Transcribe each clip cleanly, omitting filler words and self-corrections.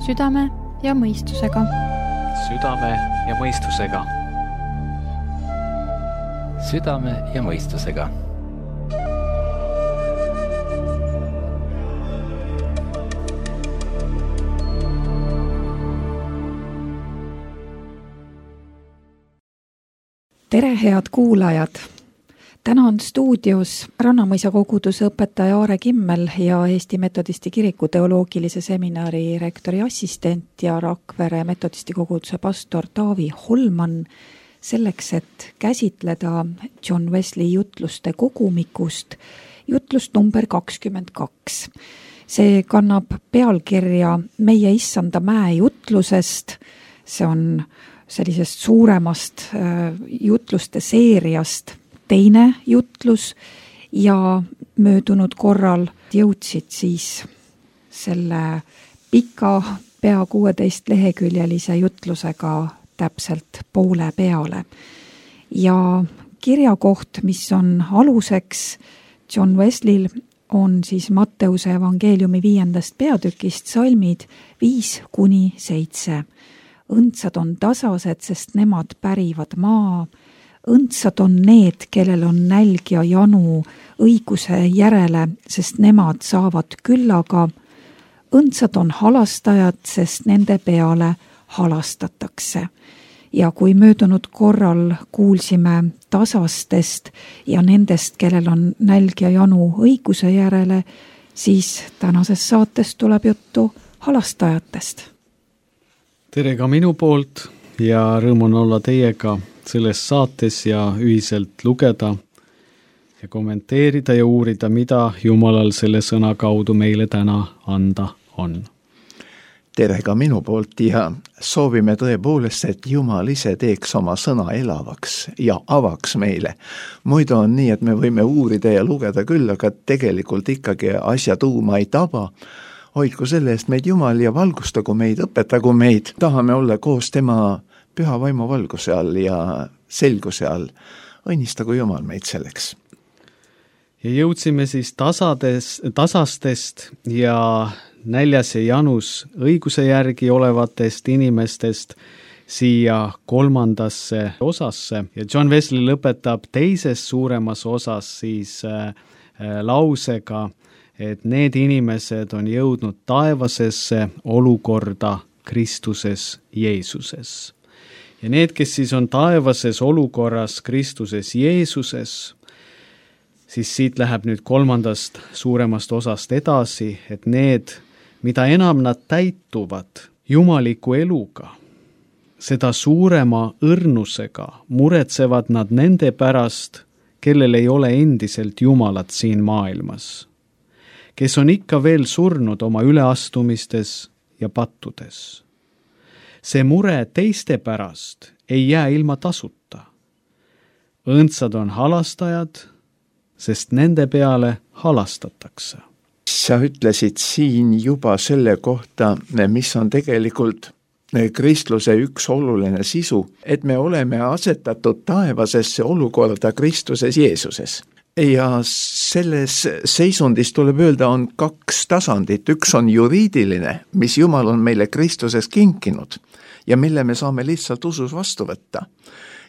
Südame ja mõistusega. Südame ja mõistusega. Südame ja mõistusega. Tere, head kuulajad! Täna on stuudios Rannamõisa koguduse õpetaja Aare Kimmel ja Eesti Metodisti Kiriku teoloogilise seminari rektori assistent ja Rakvere Metodisti koguduse pastor Taavi Holman selleks, et käsitleda John Wesley jutluste kogumikust jutlust number 22. See kannab pealkirja Meie Issanda mäe jutlusest. See on sellisest suuremast jutluste seeriast teine jutlus ja möödunud korral jõudsid siis selle pika pea 16 leheküljelise jutlusega täpselt poole peale. Ja kirjakoht, mis on aluseks John Wesleyl, on siis Matteuse evangeeliumi 5. peatükist salmid 5-7. Õndsad on tasased, sest nemad pärivad maa. Õndsad on need, kellel on nälg ja janu õiguse järele, sest nemad saavad küllaga. Õndsad on halastajad, sest nende peale halastatakse. Ja kui möödunud korral kuulsime tasastest ja nendest, kellel on nälg ja janu õiguse järele, siis tänases saates tuleb juttu halastajatest. Tere ka minu poolt ja rõõm on olla teiega selles saates ja ühiselt lugeda ja kommenteerida ja uurida, mida Jumalal selle sõna kaudu meile täna anda on. Tere ka minu poolt ja soovime tõepoolest, et Jumal ise teeks oma sõna elavaks ja avaks meile. Muidu on nii, et me võime uurida ja lugeda küll, aga tegelikult ikkagi asja tuuma ei taba. Hoidku selle eest meid Jumal ja valgustagu meid, õpetagu meid. Tahame olla koos tema püha vaimu valguse all ja selguse all. Õnnistagu Jumal meid selleks. Ja jõudsime siis tasastest ja näljas ja janus õiguse järgi olevatest inimestest siia 3. osasse. Ja John Wesley lõpetab teises suuremas osas siis lausega, et need inimesed on jõudnud taevasesse olukorda Kristuses Jeesuses. Ja need, kes siis on taevases olukorras Kristuses Jeesuses, siis siit läheb nüüd 3. suuremast osast edasi, et need, mida enam nad täituvad jumaliku eluga, seda suurema õrnusega muretsevad nad nende pärast, kellel ei ole endiselt Jumalat siin maailmas, kes on ikka veel surnud oma üleastumistes ja pattudes. See mure teiste pärast ei jää ilma tasuta. Õndsad on halastajad, sest nende peale halastatakse. Sa ütlesid siin juba selle kohta, mis on tegelikult kristluse üks oluline sisu, et me oleme asetatud taevasesse olukorda Kristuses Jeesuses. Ja selles seisundis tuleb öelda, on 2 tasandit. Üks on juriidiline, mis Jumal on meile Kristuses kinkinud ja mille me saame lihtsalt usus vastu võtta.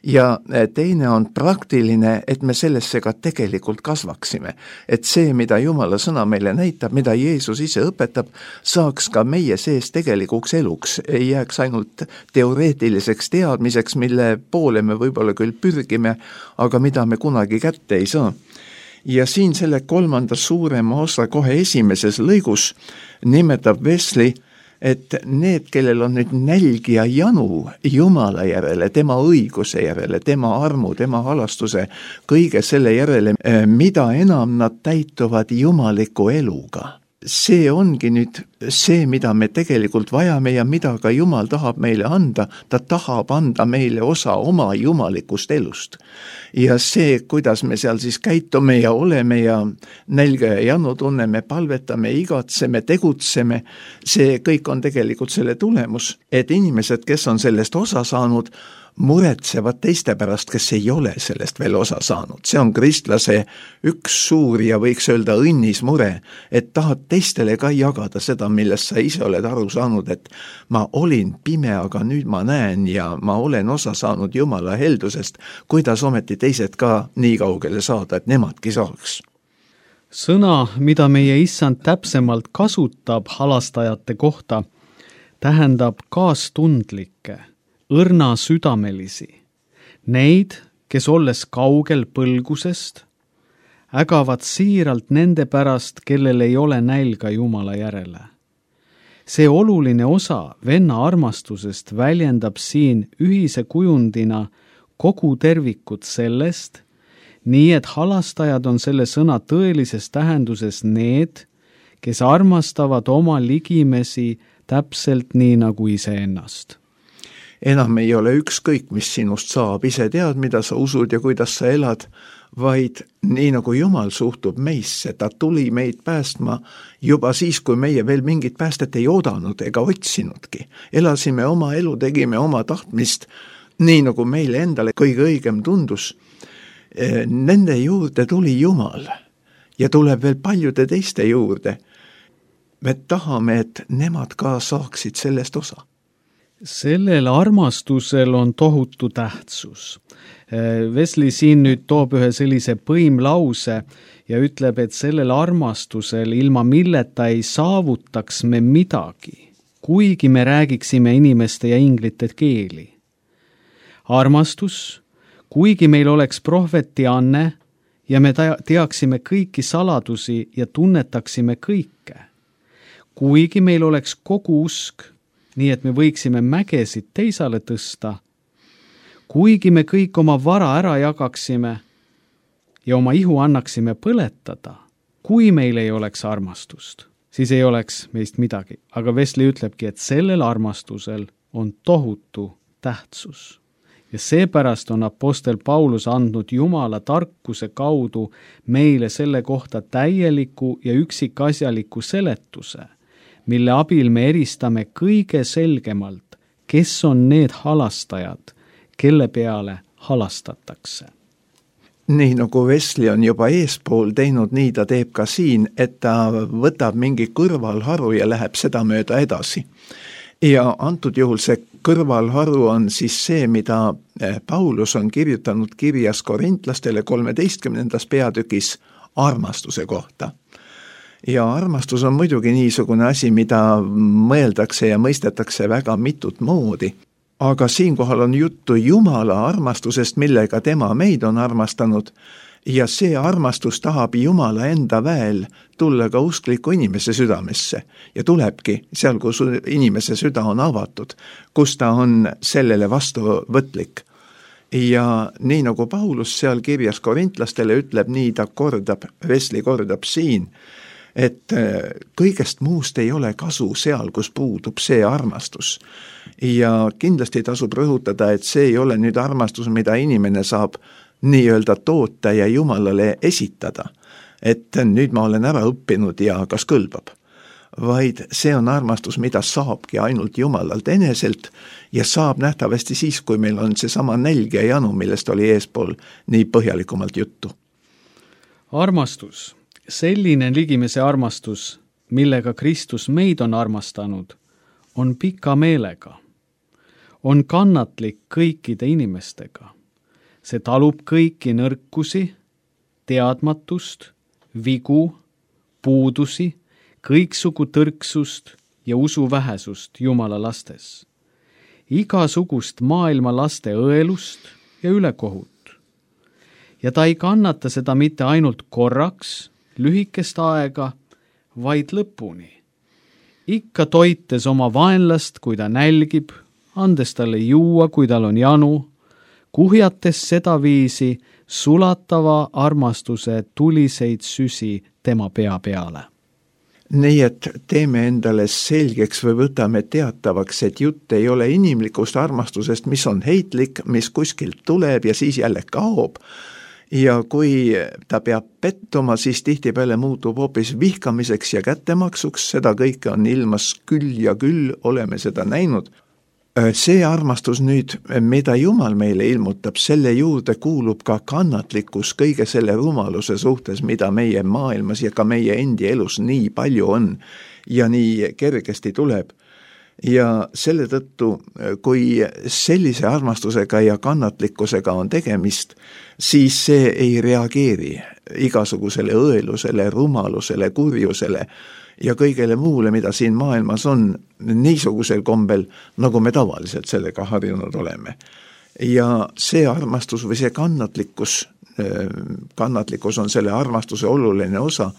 Ja teine on praktiline, et me sellesse ka tegelikult kasvaksime. Et see, mida Jumala sõna meile näitab, mida Jeesus ise õpetab, saaks ka meie sees tegelikuks eluks. Ei jääks ainult teoreetiliseks teadmiseks, mille poole me võib-olla küll pürgime, aga mida me kunagi kätte ei saa. Ja siin selle 3. suurema osa kohe esimeses lõigus nimetab Wesley, et need, kellel on nüüd nälg ja janu Jumala järele, tema õiguse järele, tema armu, tema halastuse, kõige selle järele, mida enam nad täituvad jumaliku eluga. See ongi nüüd see, mida me tegelikult vajame ja mida ka Jumal tahab meile anda. Ta tahab anda meile osa oma jumalikust elust. Ja see, kuidas me seal siis käitume ja oleme ja nälga ja janu tunneme, palvetame, igatseme, tegutseme, see kõik on tegelikult selle tulemus, et inimesed, kes on sellest osa saanud, muretsevad teiste pärast, kes ei ole sellest veel osa saanud. See on kristlase üks suur ja võiks öelda õnnis mure, et tahad teistele ka jagada seda, millest sa ise oled aru saanud, et ma olin pime, aga nüüd ma näen ja ma olen osa saanud Jumala heldusest, kuidas ometi teised ka nii kaugele saada, et nemadki saaks. Sõna, mida meie issand täpsemalt kasutab halastajate kohta, tähendab kaastundlikke, õrna südamelisi. Neid, kes olles kaugel põlgusest, ägavad siiralt nende pärast, kellel ei ole nälga Jumala järele. See oluline osa venna armastusest väljendab siin ühise kujundina kogu tervikut sellest, nii et halastajad on selle sõna tõelises tähenduses need, kes armastavad oma ligimesi täpselt nii nagu iseennast. Enam ei ole ükskõik, mis sinust saab, ise tead, mida sa usud ja kuidas sa elad, vaid nii nagu Jumal suhtub meisse, ta tuli meid päästma juba siis, kui meie veel mingit päästet ei oodanud ega otsinudki. Elasime oma elu, tegime oma tahtmist, nii nagu meile endale kõige õigem tundus. Nende juurde tuli Jumal ja tuleb veel paljude teiste juurde. Me tahame, et nemad ka saaksid sellest osa. Sellel armastusel on tohutu tähtsus. Wesley siin nüüd toob ühe sellise põimlause ja ütleb, et sellel armastusel ilma milleta ei saavutaks me midagi, kuigi me räägiksime inimeste ja inglite keeli. Armastus, kuigi meil oleks prohveti anne ja me teaksime kõiki saladusi ja tunnetaksime kõike, kuigi meil oleks kogu usk, nii et me võiksime mägesid teisale tõsta, kuigi me kõik oma vara ära jagaksime ja oma ihu annaksime põletada, kui meil ei oleks armastust, siis ei oleks meist midagi. Aga Wesley ütlebki, et sellel armastusel on tohutu tähtsus. Ja seepärast on apostel Paulus andnud Jumala tarkuse kaudu meile selle kohta täieliku ja üksikasjaliku seletuse, mille abil me eristame kõige selgemalt, kes on need halastajad, kelle peale halastatakse. Nii nagu Wesley on juba eespool teinud, nii ta teeb ka siin, et ta võtab mingi kõrvalharu ja läheb seda mööda edasi. Ja antud juhul see kõrvalharu on siis see, mida Paulus on kirjutanud kirjas korintlastele 13. peatükis armastuse kohta. Ja armastus on muidugi niisugune asi, mida mõeldakse ja mõistetakse väga mitut moodi. Aga siinkohal on juttu Jumala armastusest, millega tema meid on armastanud, ja see armastus tahab Jumala enda väel tulla ka uskliku inimese südamesse. Ja tulebki seal, kus inimese süda on avatud, kus ta on sellele vastuvõtlik. Ja nii nagu Paulus seal kirjas korintlastele ütleb, nii ta kordab, Wesley kordab siin, et kõigest muust ei ole kasu seal, kus puudub see armastus. Ja kindlasti tasub rõhutada, et see ei ole nüüd armastus, mida inimene saab nii-öelda toota ja Jumalale esitada. Et nüüd ma olen ära õppinud ja kas kõlbab. Vaid see on armastus, mida saabki ainult Jumalalt eneselt ja saab nähtavasti siis, kui meil on see sama nälg ja janu, millest oli eespool nii põhjalikumalt juttu. Armastus. Selline ligimese armastus, millega Kristus meid on armastanud, on pika meelega, on kannatlik kõikide inimestega. See talub kõiki nõrkusi, teadmatust, vigu, puudusi, kõiksugu tõrksust ja usuvähesust Jumala lastes, igasugust maailma laste õelust ja ülekohut. Ja ta ei kannata seda mitte ainult korraks, lühikest aega, vaid lõpuni. Ikka toites oma vaenlast, kui ta nälgib, andes talle juua, kui tal on janu, kuhjates seda viisi sulatava armastuse tuliseid süsi tema pea peale. Nii et teeme endale selgeks või võtame teatavaks, et jutt ei ole inimlikust armastusest, mis on heitlik, mis kuskilt tuleb ja siis jälle kaob. Ja kui ta peab pettuma, siis tihtipeale muutub hoopis vihkamiseks ja kättemaksuks, seda kõike on ilmas küll ja küll, oleme seda näinud. See armastus nüüd, mida Jumal meile ilmutab, selle juurde kuulub ka kannatlikkus kõige selle rumaluse suhtes, mida meie maailmas ja ka meie endi elus nii palju on ja nii kergesti tuleb. Ja selle tõttu, kui sellise armastusega ja kannatlikkusega on tegemist, siis see ei reageeri igasugusele õelusele, rumalusele, kurjusele ja kõigele muule, mida siin maailmas on, niisugusel kombel, nagu me tavaliselt sellega harjunud oleme. Ja see armastus või see kannatlikkus on selle armastuse oluline osa,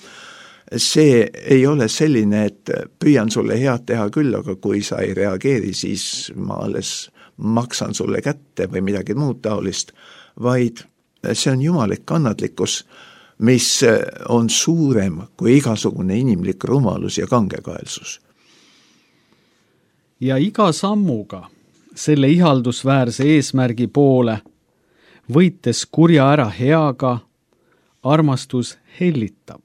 see ei ole selline, et püüan sulle head teha küll, aga kui sa ei reageeri, siis ma alles maksan sulle kätte või midagi muud taolist, vaid see on jumalik kannatlikkus, mis on suurem kui igasugune inimlik rumalus ja kangekaelsus. Ja iga sammuga selle ihaldusväärse eesmärgi poole, võites kurja ära heaga, armastus hellitab.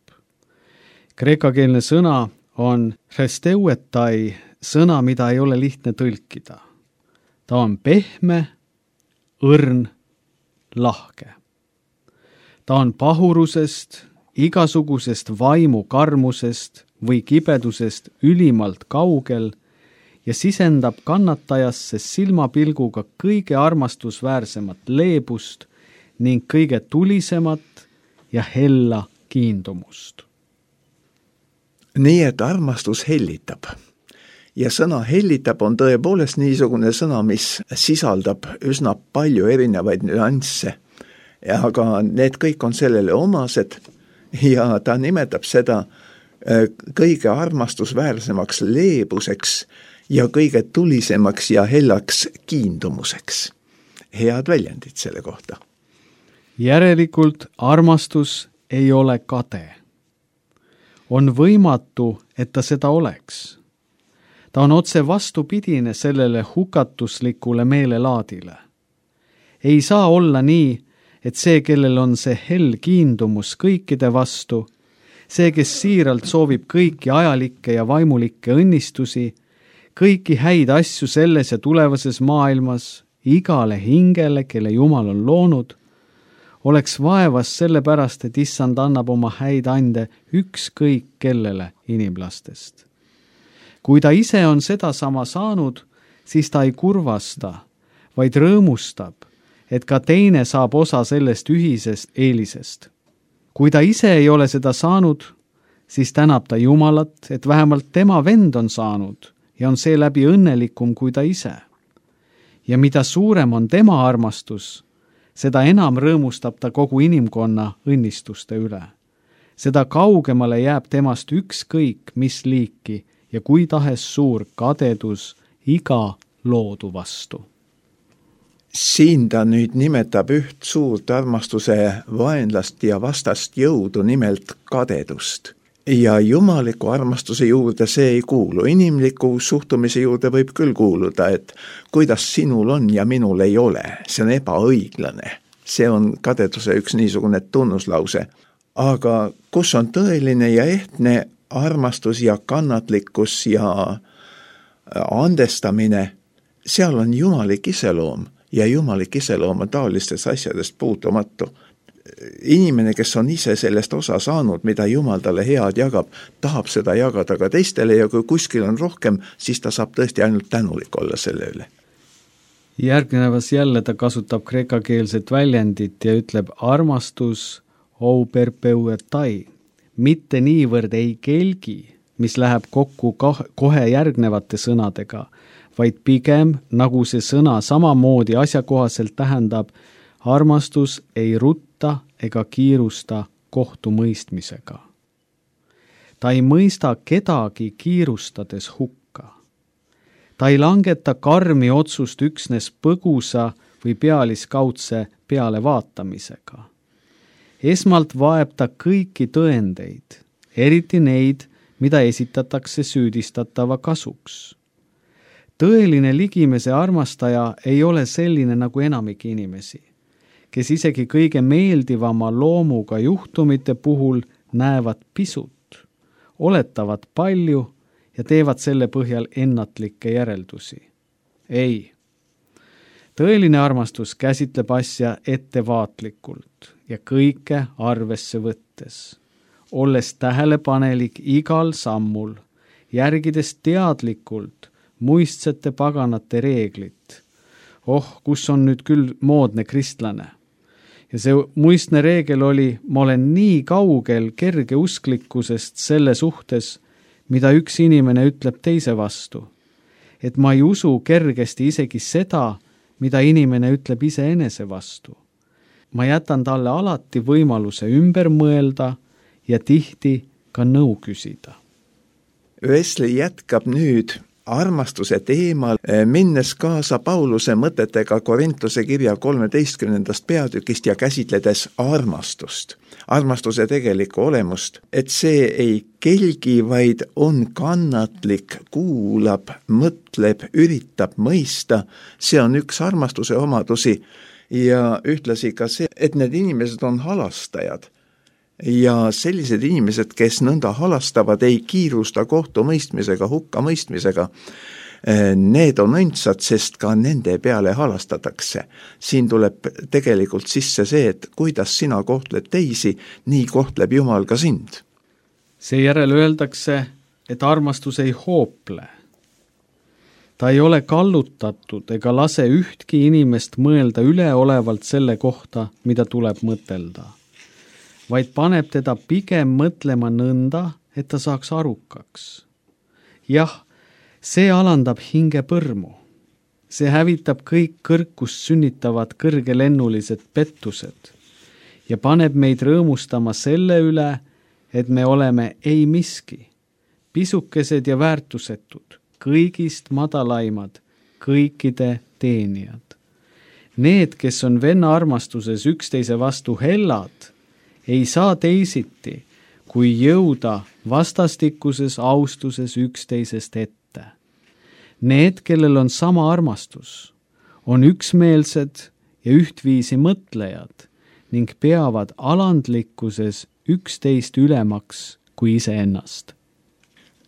Kreekakeelne sõna on resteuetai, sõna, mida ei ole lihtne tõlkida. Ta on pehme, õrn, lahke. Ta on pahurusest, igasugusest vaimu karmusest või kibedusest ülimalt kaugel ja sisendab kannatajasse silmapilguga kõige armastusväärsemat leebust ning kõige tulisemat ja hella kiindumust. Nii et armastus hellitab. Ja sõna hellitab on tõepoolest niisugune sõna, mis sisaldab üsna palju erinevaid nüansse. Aga need kõik on sellele omased ja ta nimetab seda kõige armastusväärsemaks leebuseks ja kõige tulisemaks ja hellaks kiindumuseks. Head väljendid selle kohta. Järelikult armastus ei ole kade. On võimatu, et ta seda oleks. Ta on otse vastupidine sellele hukatuslikule meelelaadile. Ei saa olla nii, et see, kellel on see hell kiindumus kõikide vastu, see, kes siiralt soovib kõiki ajalikke ja vaimulikke õnnistusi, kõiki häid asju selles ja tulevases maailmas, igale hingele, kelle Jumal on loonud, oleks vaevas sellepärast, et issand annab oma häid ande ükskõik kellele inimlastest. Kui ta ise on sedasama saanud, siis ta ei kurvasta, vaid rõõmustab, et ka teine saab osa sellest ühisest eelisest. Kui ta ise ei ole seda saanud, siis tänab ta Jumalat, et vähemalt tema vend on saanud ja on seeläbi õnnelikum kui ta ise. Ja mida suurem on tema armastus, seda enam rõõmustab ta kogu inimkonna õnnistuste üle. Seda kaugemale jääb temast ükskõik mis liiki ja kui tahes suur kadedus iga loodu vastu. Siin ta nüüd nimetab üht suurt armastuse vaenlast ja vastast jõudu, nimelt kadedust. Ja jumaliku armastuse juurde see ei kuulu. Inimliku suhtumise juurde võib küll kuuluda, et kuidas sinul on ja minul ei ole. See on ebaõiglane. See on kadeduse üks niisugune tunnuslause. Aga kus on tõeline ja ehtne armastus ja kannatlikkus ja andestamine, seal on jumalik iseloom. Ja jumalik iseloom on taolistest asjadest puutumatu. Inimene, kes on ise sellest osa saanud, mida Jumal talle head jagab, tahab seda jagada ka teistele ja kui kuskil on rohkem, siis ta saab tõesti ainult tänulik olla selle üle. Järgnevas jälle ta kasutab kreekakeelset väljendit ja ütleb armastus ou perpeuetai, mitte niivõrd ei kelgi, mis läheb kokku kohe järgnevate sõnadega, vaid pigem, nagu see sõna samamoodi asjakohaselt tähendab, armastus ei rutta ega kiirusta kohtumõistmisega. Ta ei mõista kedagi kiirustades hukka. Ta ei langeta karmi otsust üksnes põgusa või pealiskaudse pealevaatamisega. Esmalt vaeb ta kõiki tõendeid, eriti neid, mida esitatakse süüdistatava kasuks. Tõeline ligimese armastaja ei ole selline nagu enamik inimesi, kes isegi kõige meeldivama loomuga juhtumite puhul näevad pisut, oletavad palju ja teevad selle põhjal ennatlikke järeldusi. Ei. Tõeline armastus käsitleb asja ettevaatlikult ja kõike arvesse võttes, olles tähelepanelik igal sammul, järgides teadlikult muistsete paganate reeglit. Kus on nüüd küll moodne kristlane? Ja see muistne reegel oli, ma olen nii kaugel kerge usklikkusest selle suhtes, mida üks inimene ütleb teise vastu, et ma ei usu kergesti isegi seda, mida inimene ütleb iseenese vastu. Ma jätan talle alati võimaluse ümber mõelda ja tihti ka nõu küsida. Wesley jätkab nüüd armastuse teemal, minnes kaasa Pauluse mõtetega Korintuse kirja 13. peatükist ja käsitledes armastust. Armastuse tegelikku olemust, et see ei kelgi, vaid on kannatlik, kuulab, mõtleb, üritab mõista. See on üks armastuse omadusi ja ühtlasi ka see, et need inimesed on halastajad. Ja sellised inimesed, kes nõnda halastavad, ei kiirusta kohtumõistmisega, hukkamõistmisega. Need on õndsad, sest ka nende peale halastatakse. Siin tuleb tegelikult sisse see, et kuidas sina kohtled teisi, nii kohtleb Jumal ka sind. Seejärel öeldakse, et armastus ei hoople. Ta ei ole kallutatud ega lase ühtki inimest mõelda üleolevalt selle kohta, mida tuleb mõtelda, vaid paneb teda pigem mõtlema nõnda, et ta saaks arukaks. Jah, see alandab hinge põrmu. See hävitab kõik kõrkust sünnitavad kõrgelennulised pettused ja paneb meid rõõmustama selle üle, et me oleme ei miski, pisukesed ja väärtusetud, kõigist madalaimad, kõikide teenijad. Need, kes on venna armastuses üksteise vastu hellad, ei saa teisiti, kui jõuda vastastikuses austuses üksteisest ette. Need, kellel on sama armastus, on üksmeelsed ja ühtviisi mõtlejad ning peavad alandlikkuses üksteist ülemaks kui iseennast.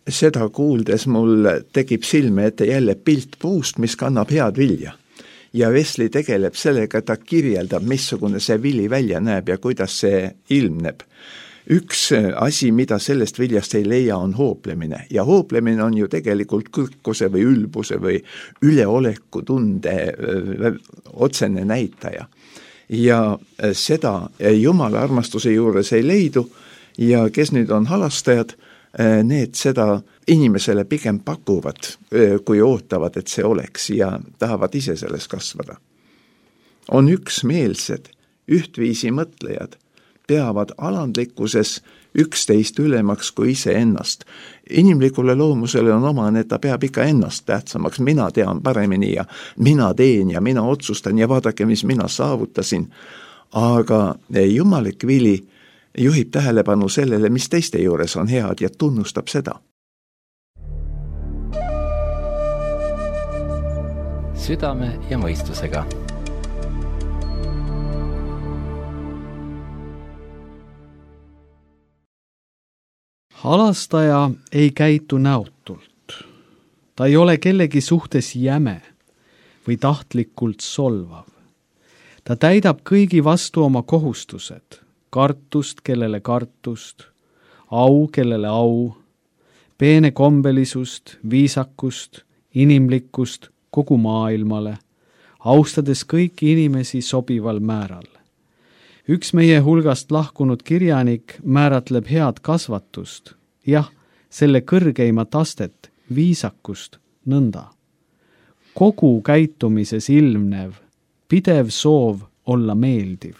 Seda kuuldes mul tekib silme ette jälle pilt puust, mis kannab head vilja. Ja Wesley tegeleb sellega, ta kirjeldab, missugune see vili välja näeb ja kuidas see ilmneb. Üks asi, mida sellest viljast ei leia, on hooplemine. Ja hooplemine on ju tegelikult kõrkuse või ülbuse või üleoleku tunde otsene näitaja. Ja seda Jumala armastuse juures ei leidu ja kes nüüd on halastajad, need seda inimesele pigem pakuvad, kui ootavad, et see oleks ja tahavad ise selles kasvada. On üksmeelsed, ühtviisi mõtlejad, peavad alandlikkuses üksteist ülemaks kui iseennast. Inimlikule loomusele on omane, et ta peab ikka ennast tähtsamaks. Mina tean paremini ja mina teen ja mina otsustan ja vaadake, mis mina saavutasin. Aga jumalik vili juhib tähelepanu sellele, mis teiste juures on head ja tunnustab seda. Südame ja mõistusega. Halastaja ei käitu näotult. Ta ei ole kellegi suhtes jäme või tahtlikult solvav. Ta täidab kõigi vastu oma kohustused. Kartust, kellele kartust, au, kellele au, peenekombelisust, viisakust, inimlikkust kogu maailmale, austades kõiki inimesi sobival määral. Üks meie hulgast lahkunud kirjanik määratleb head kasvatust, jah, selle kõrgeimat astet, viisakust, nõnda. Kogu käitumises ilmnev, pidev soov olla meeldiv.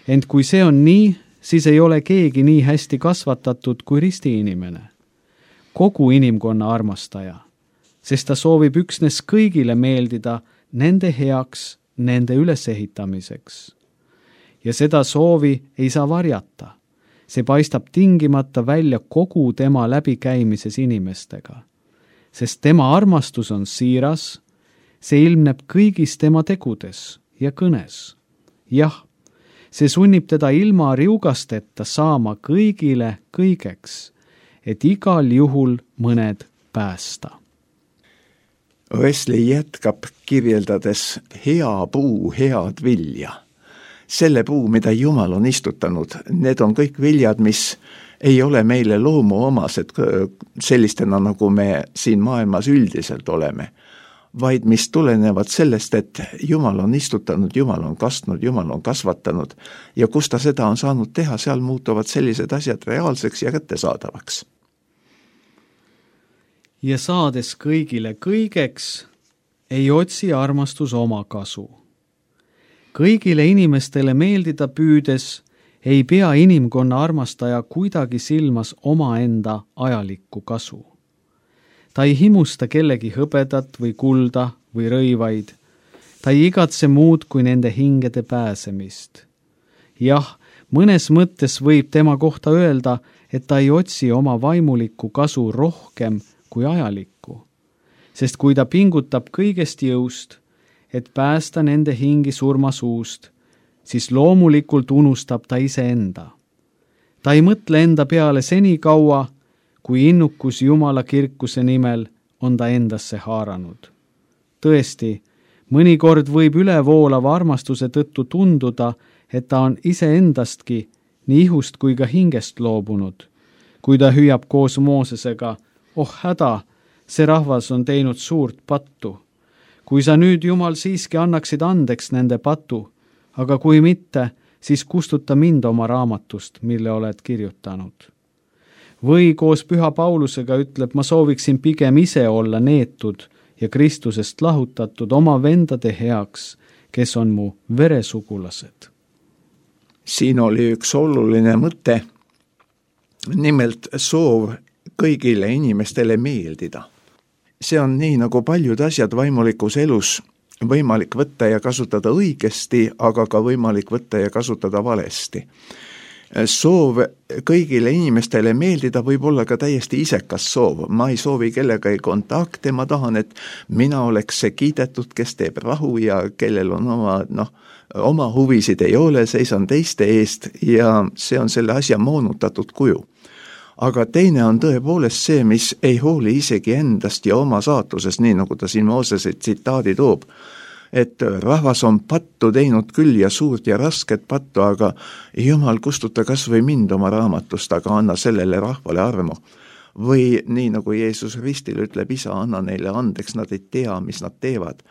Ent kui see on nii, siis ei ole keegi nii hästi kasvatatud kui ristiinimene. Kogu inimkonna armastaja, sest ta soovib üksnes kõigile meeldida nende heaks, nende ülesehitamiseks. Ja seda soovi ei saa varjata. See paistab tingimata välja kogu tema läbikäimises inimestega. Sest tema armastus on siiras, see ilmneb kõigis tema tegudes ja kõnes. Jah, see sunnib teda ilma riugasteta saama kõigile kõigeks, et igal juhul mõned päästa. Wesley jätkab kirjeldades hea puu head vilja. Selle puu, mida Jumal on istutanud, need on kõik viljad, mis ei ole meile loomuomased sellistena, nagu me siin maailmas üldiselt oleme, vaid mis tulenevad sellest, et Jumal on istutanud, Jumal on kastnud, Jumal on kasvatanud ja kus ta seda on saanud teha, seal muutuvad sellised asjad reaalseks ja kättesaadavaks. Ja saades kõigile kõigeks, ei otsi armastus oma kasu. Kõigile inimestele meeldida püüdes ei pea inimkonna armastaja kuidagi silmas omaenda ajalikku kasu. Ta ei himusta kellegi hõbedat või kulda või rõivaid. Ta ei igatse muud kui nende hingede pääsemist. Jah, mõnes mõttes võib tema kohta öelda, et ta ei otsi oma vaimulikku kasu rohkem kui ajalikku. Sest kui ta pingutab kõigest jõust, et päästa nende hingi surmasuust, siis loomulikult unustab ta iseenda. Ta ei mõtle enda peale senikaua, kui innukus Jumala kirkuse nimel on ta endasse haaranud. Tõesti, mõnikord võib ülevoolava armastuse tõttu tunduda, et ta on iseendastki nii ihust kui ka hingest loobunud. Kui ta hüüab koos Moosesega, oh häda, see rahvas on teinud suurt pattu. Kui sa nüüd, Jumal, siiski annaksid andeks nende patu, aga kui mitte, siis kustuta mind oma raamatust, mille oled kirjutanud. Või koos Püha Paulusega ütleb, ma sooviksin pigem ise olla neetud ja Kristusest lahutatud oma vendade heaks, kes on mu veresugulased. Siin oli üks oluline mõte, nimelt soov kõigile inimestele meeldida. See on nii, nagu paljud asjad vaimulikus elus võimalik võtta ja kasutada õigesti, aga ka võimalik võtta ja kasutada valesti. Soov kõigile inimestele meeldida võib olla ka täiesti isekas soov. Ma ei soovi kellega ei kontakte, ma tahan, et mina oleks see kiidetud, kes teeb rahu ja kellel on oma huvisid ei ole, seisan teiste eest ja see on selle asja moonutatud kuju. Aga teine on tõepoolest see, mis ei hooli isegi endast ja oma saatusest, nii nagu ta siin Moosese tsitaadi toob, et rahvas on pattu teinud küll ja suurt ja rasket pattu, aga Jumal, kustuta kas või mind oma raamatust, aga anna sellele rahvale armu. Või nii nagu Jeesus ristil ütleb, isa, anna neile andeks, nad ei tea, mis nad teevad.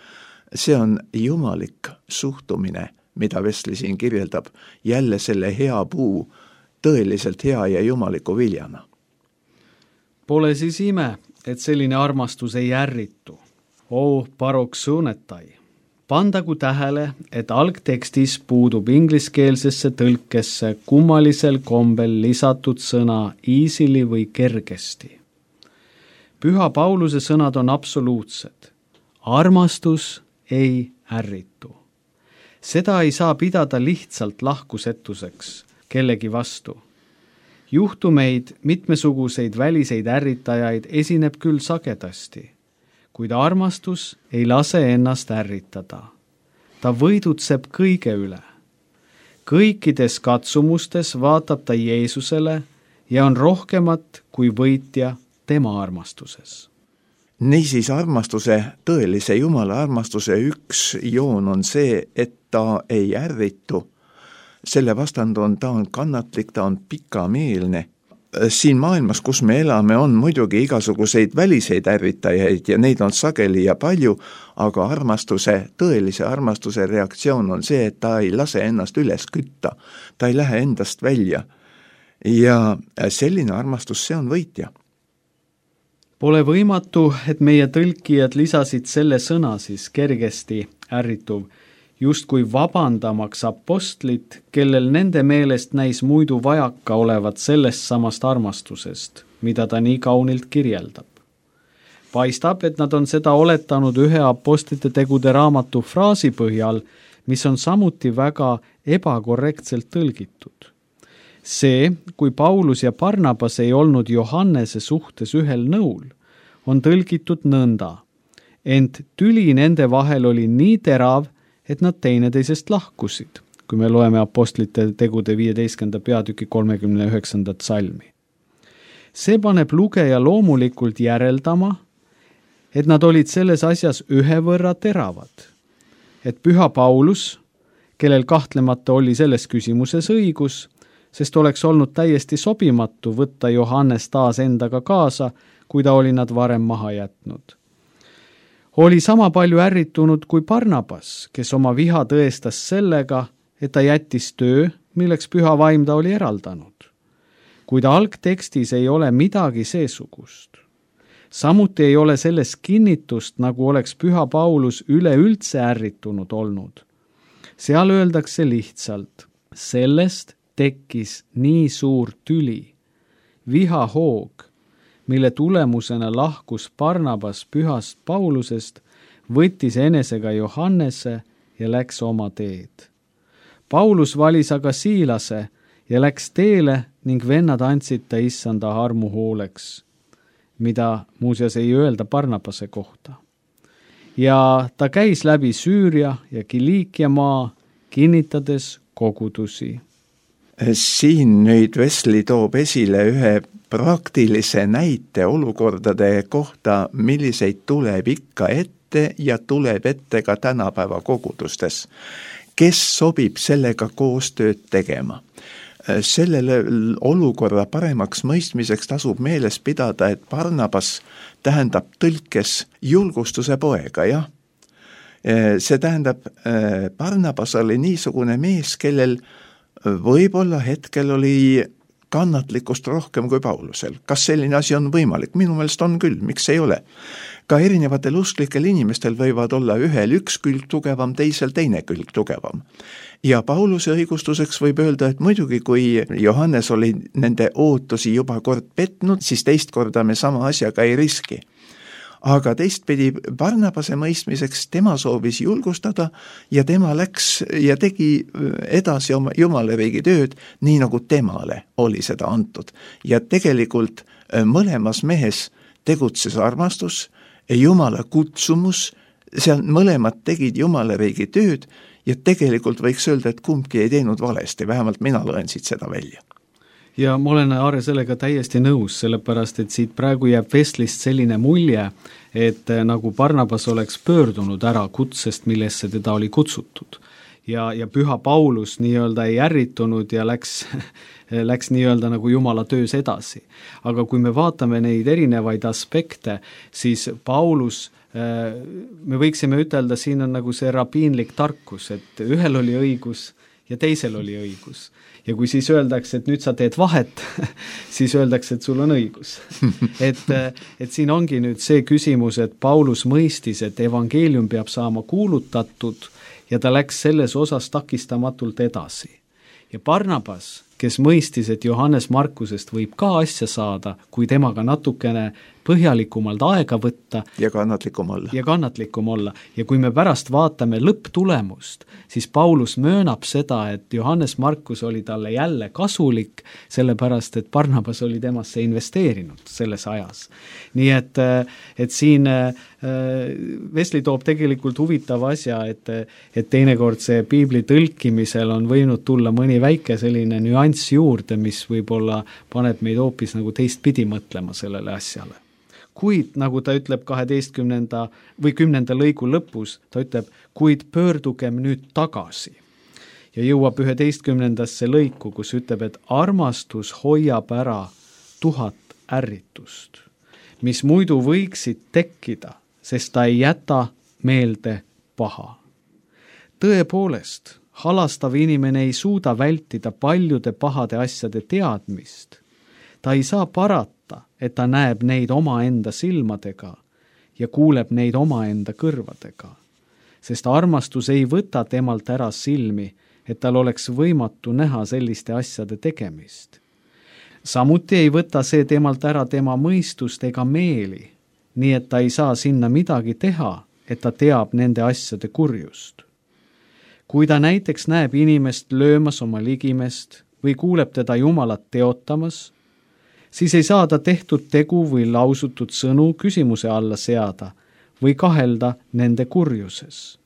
See on jumalik suhtumine, mida Wesley siin kirjeldab, jälle selle hea puu, tõeliselt hea ja jumaliku viljana. Pole siis ime, et selline armastus ei ärritu. Oh, paroksuunetai. Pandagu tähele, et algtekstis puudub ingliskeelsesse tõlkesse kummalisel kombel lisatud sõna easily või kergesti. Püha Pauluse sõnad on absoluutsed. Armastus ei ärritu. Seda ei saa pidada lihtsalt lahkusetuseks kellegi vastu. Juhtumeid, mitmesuguseid väliseid ärritajaid esineb küll sagedasti, kuid armastus ei lase ennast ärritada. Ta võidutseb kõige üle. Kõikides katsumustes vaatab ta Jeesusele ja on rohkemat kui võitja tema armastuses. Niisiis armastuse, tõelise Jumala armastuse üks joon on see, et ta ei ärritu. Selle vastand on, ta on kannatlik, ta on pikameelne. Siin maailmas, kus me elame, on muidugi igasuguseid väliseid ärritajaid ja neid on sageli ja palju, aga tõelise armastuse reaktsioon on see, et ta ei lase ennast üles kütta, ta ei lähe endast välja. Ja selline armastus, see on võitja. Pole võimatu, et meie tõlkijad lisasid selle sõna siis kergesti ärrituv, justkui vabandamaks apostlit, kellel nende meelest näis muidu vajaka olevat sellest samast armastusest, mida ta nii kaunilt kirjeldab. Paistab, et nad on seda oletanud ühe apostlite tegude raamatu fraasi põhjal, mis on samuti väga ebakorrektselt tõlgitud. See, kui Paulus ja Barnabas ei olnud Johannese suhtes ühel nõul, on tõlgitud nõnda, ent tüli nende vahel oli nii terav, et nad teineteisest lahkusid, kui me loeme apostlite tegude 15. peatüki 39. salmi. See paneb lugeja loomulikult järeldama, et nad olid selles asjas ühe võrra teravad. Et püha Paulus, kellel kahtlemata oli selles küsimuses õigus, sest oleks olnud täiesti sobimatu võtta Johannes taas endaga kaasa, kui ta oli nad varem maha jätnud. Oli sama palju ärritunud kui Barnabas, kes oma viha tõestas sellega, et ta jättis töö, milleks püha vaim ta oli eraldanud. Kuid algtekstis ei ole midagi seesugust. Samuti ei ole selles kinnitust, nagu oleks püha Paulus üleüldse ärritunud olnud. Seal öeldakse lihtsalt, sellest tekkis nii suur tüli, vihahoog, mille tulemusena lahkus Barnabas pühast Paulusest, võttis enesega Johannese ja läks oma teed. Paulus valis aga Siilase ja läks teele ning vennad andsid ta issanda armu hooleks, mida muuseas ei öelda Barnabase kohta. Ja ta käis läbi Süüria ja Kiliikia maa, kinnitades kogudusi. Siin nüüd Wesley toob esile ühe praktilise näite olukordade kohta, milliseid tuleb ikka ette ja tuleb ette ka tänapäeva kogudustes. Kes sobib sellega koostööd tegema? Sellele olukorra paremaks mõistmiseks tasub meeles pidada, et Barnabas tähendab tõlkes julgustuse poega, jah. See tähendab, Barnabas oli niisugune mees, kellel võib-olla hetkel oli kannatlikkust rohkem kui Paulusel. Kas selline asi on võimalik? Minu meelest on küll, miks ei ole? Ka erinevatel usklikel inimestel võivad olla ühel üks külg tugevam, teisel teine külg tugevam. Ja Pauluse õigustuseks võib öelda, et muidugi kui Johannes oli nende ootusi juba kord petnud, siis teist korda me sama asjaga ei riski. Aga teistpidi Barnabase mõistmiseks tema soovis julgustada ja tema läks ja tegi edasi oma Jumala riigi tööd, nii nagu temale oli seda antud. Ja tegelikult mõlemas mehes tegutses armastus, Jumala kutsumus, seal mõlemad tegid Jumala riigi tööd ja tegelikult võiks öelda, et kumbki ei teinud valesti, vähemalt mina loen siit seda välja. Ja ma olen, Aare, sellega täiesti nõus, sellepärast, et siit praegu jääb Wesleyst selline mulje, et nagu Barnabas oleks pöördunud ära kutsest, millesse teda oli kutsutud. Ja püha Paulus nii-öelda ei ärritunud ja läks nii-öelda nagu Jumala töös edasi. Aga kui me vaatame neid erinevaid aspekte, siis Paulus, me võiksime ütelda, siin on nagu see rabiinlik tarkus, et ühel oli õigus ja teisel oli õigus. Ja kui siis öeldakse, et nüüd sa teed vahet, siis öeldakse, et sul on õigus. Et siin ongi nüüd see küsimus, et Paulus mõistis, et evangeelium peab saama kuulutatud ja ta läks selles osas takistamatult edasi. Ja Barnabas, kes mõistis, et Johannes Markusest võib ka asja saada, kui temaga natukene põhjalikumalt aega võtta ja kannatlikum olla. Ja kui me pärast vaatame lõpptulemust, siis Paulus möönab seda, et Johannes Markus oli talle jälle kasulik, sellepärast, et Barnabas oli temasse investeerinud selles ajas. Nii et siin Wesley toob tegelikult huvitava asja, et teinekord see piibli tõlkimisel on võinud tulla mõni väike selline nüanss juurde, mis võib-olla paneb meid hoopis nagu teistpidi mõtlema sellele asjale. Kuid, nagu ta ütleb 12. või 10. lõigu lõpus, ta ütleb, kuid pöördugem nüüd tagasi. Ja jõuab 11. lõiku, kus ütleb, et armastus hoiab ära 1000 ärritust, mis muidu võiksid tekkida, sest ta ei jäta meelde paha. Tõepoolest, halastav inimene ei suuda vältida paljude pahade asjade teadmist. Ta ei saa parata, et ta näeb neid omaenda silmadega ja kuuleb neid omaenda kõrvadega, sest armastus ei võta temalt ära silmi, et tal oleks võimatu näha selliste asjade tegemist. Samuti ei võta see temalt ära tema mõistust ega meeli, nii et ta ei saa sinna midagi teha, et ta teab nende asjade kurjust. Kui ta näiteks näeb inimest löömas oma ligimest või kuuleb teda Jumalat teotamas, siis ei saa ta tehtud tegu või lausutud sõnu küsimuse alla seada või kahelda nende kurjuses.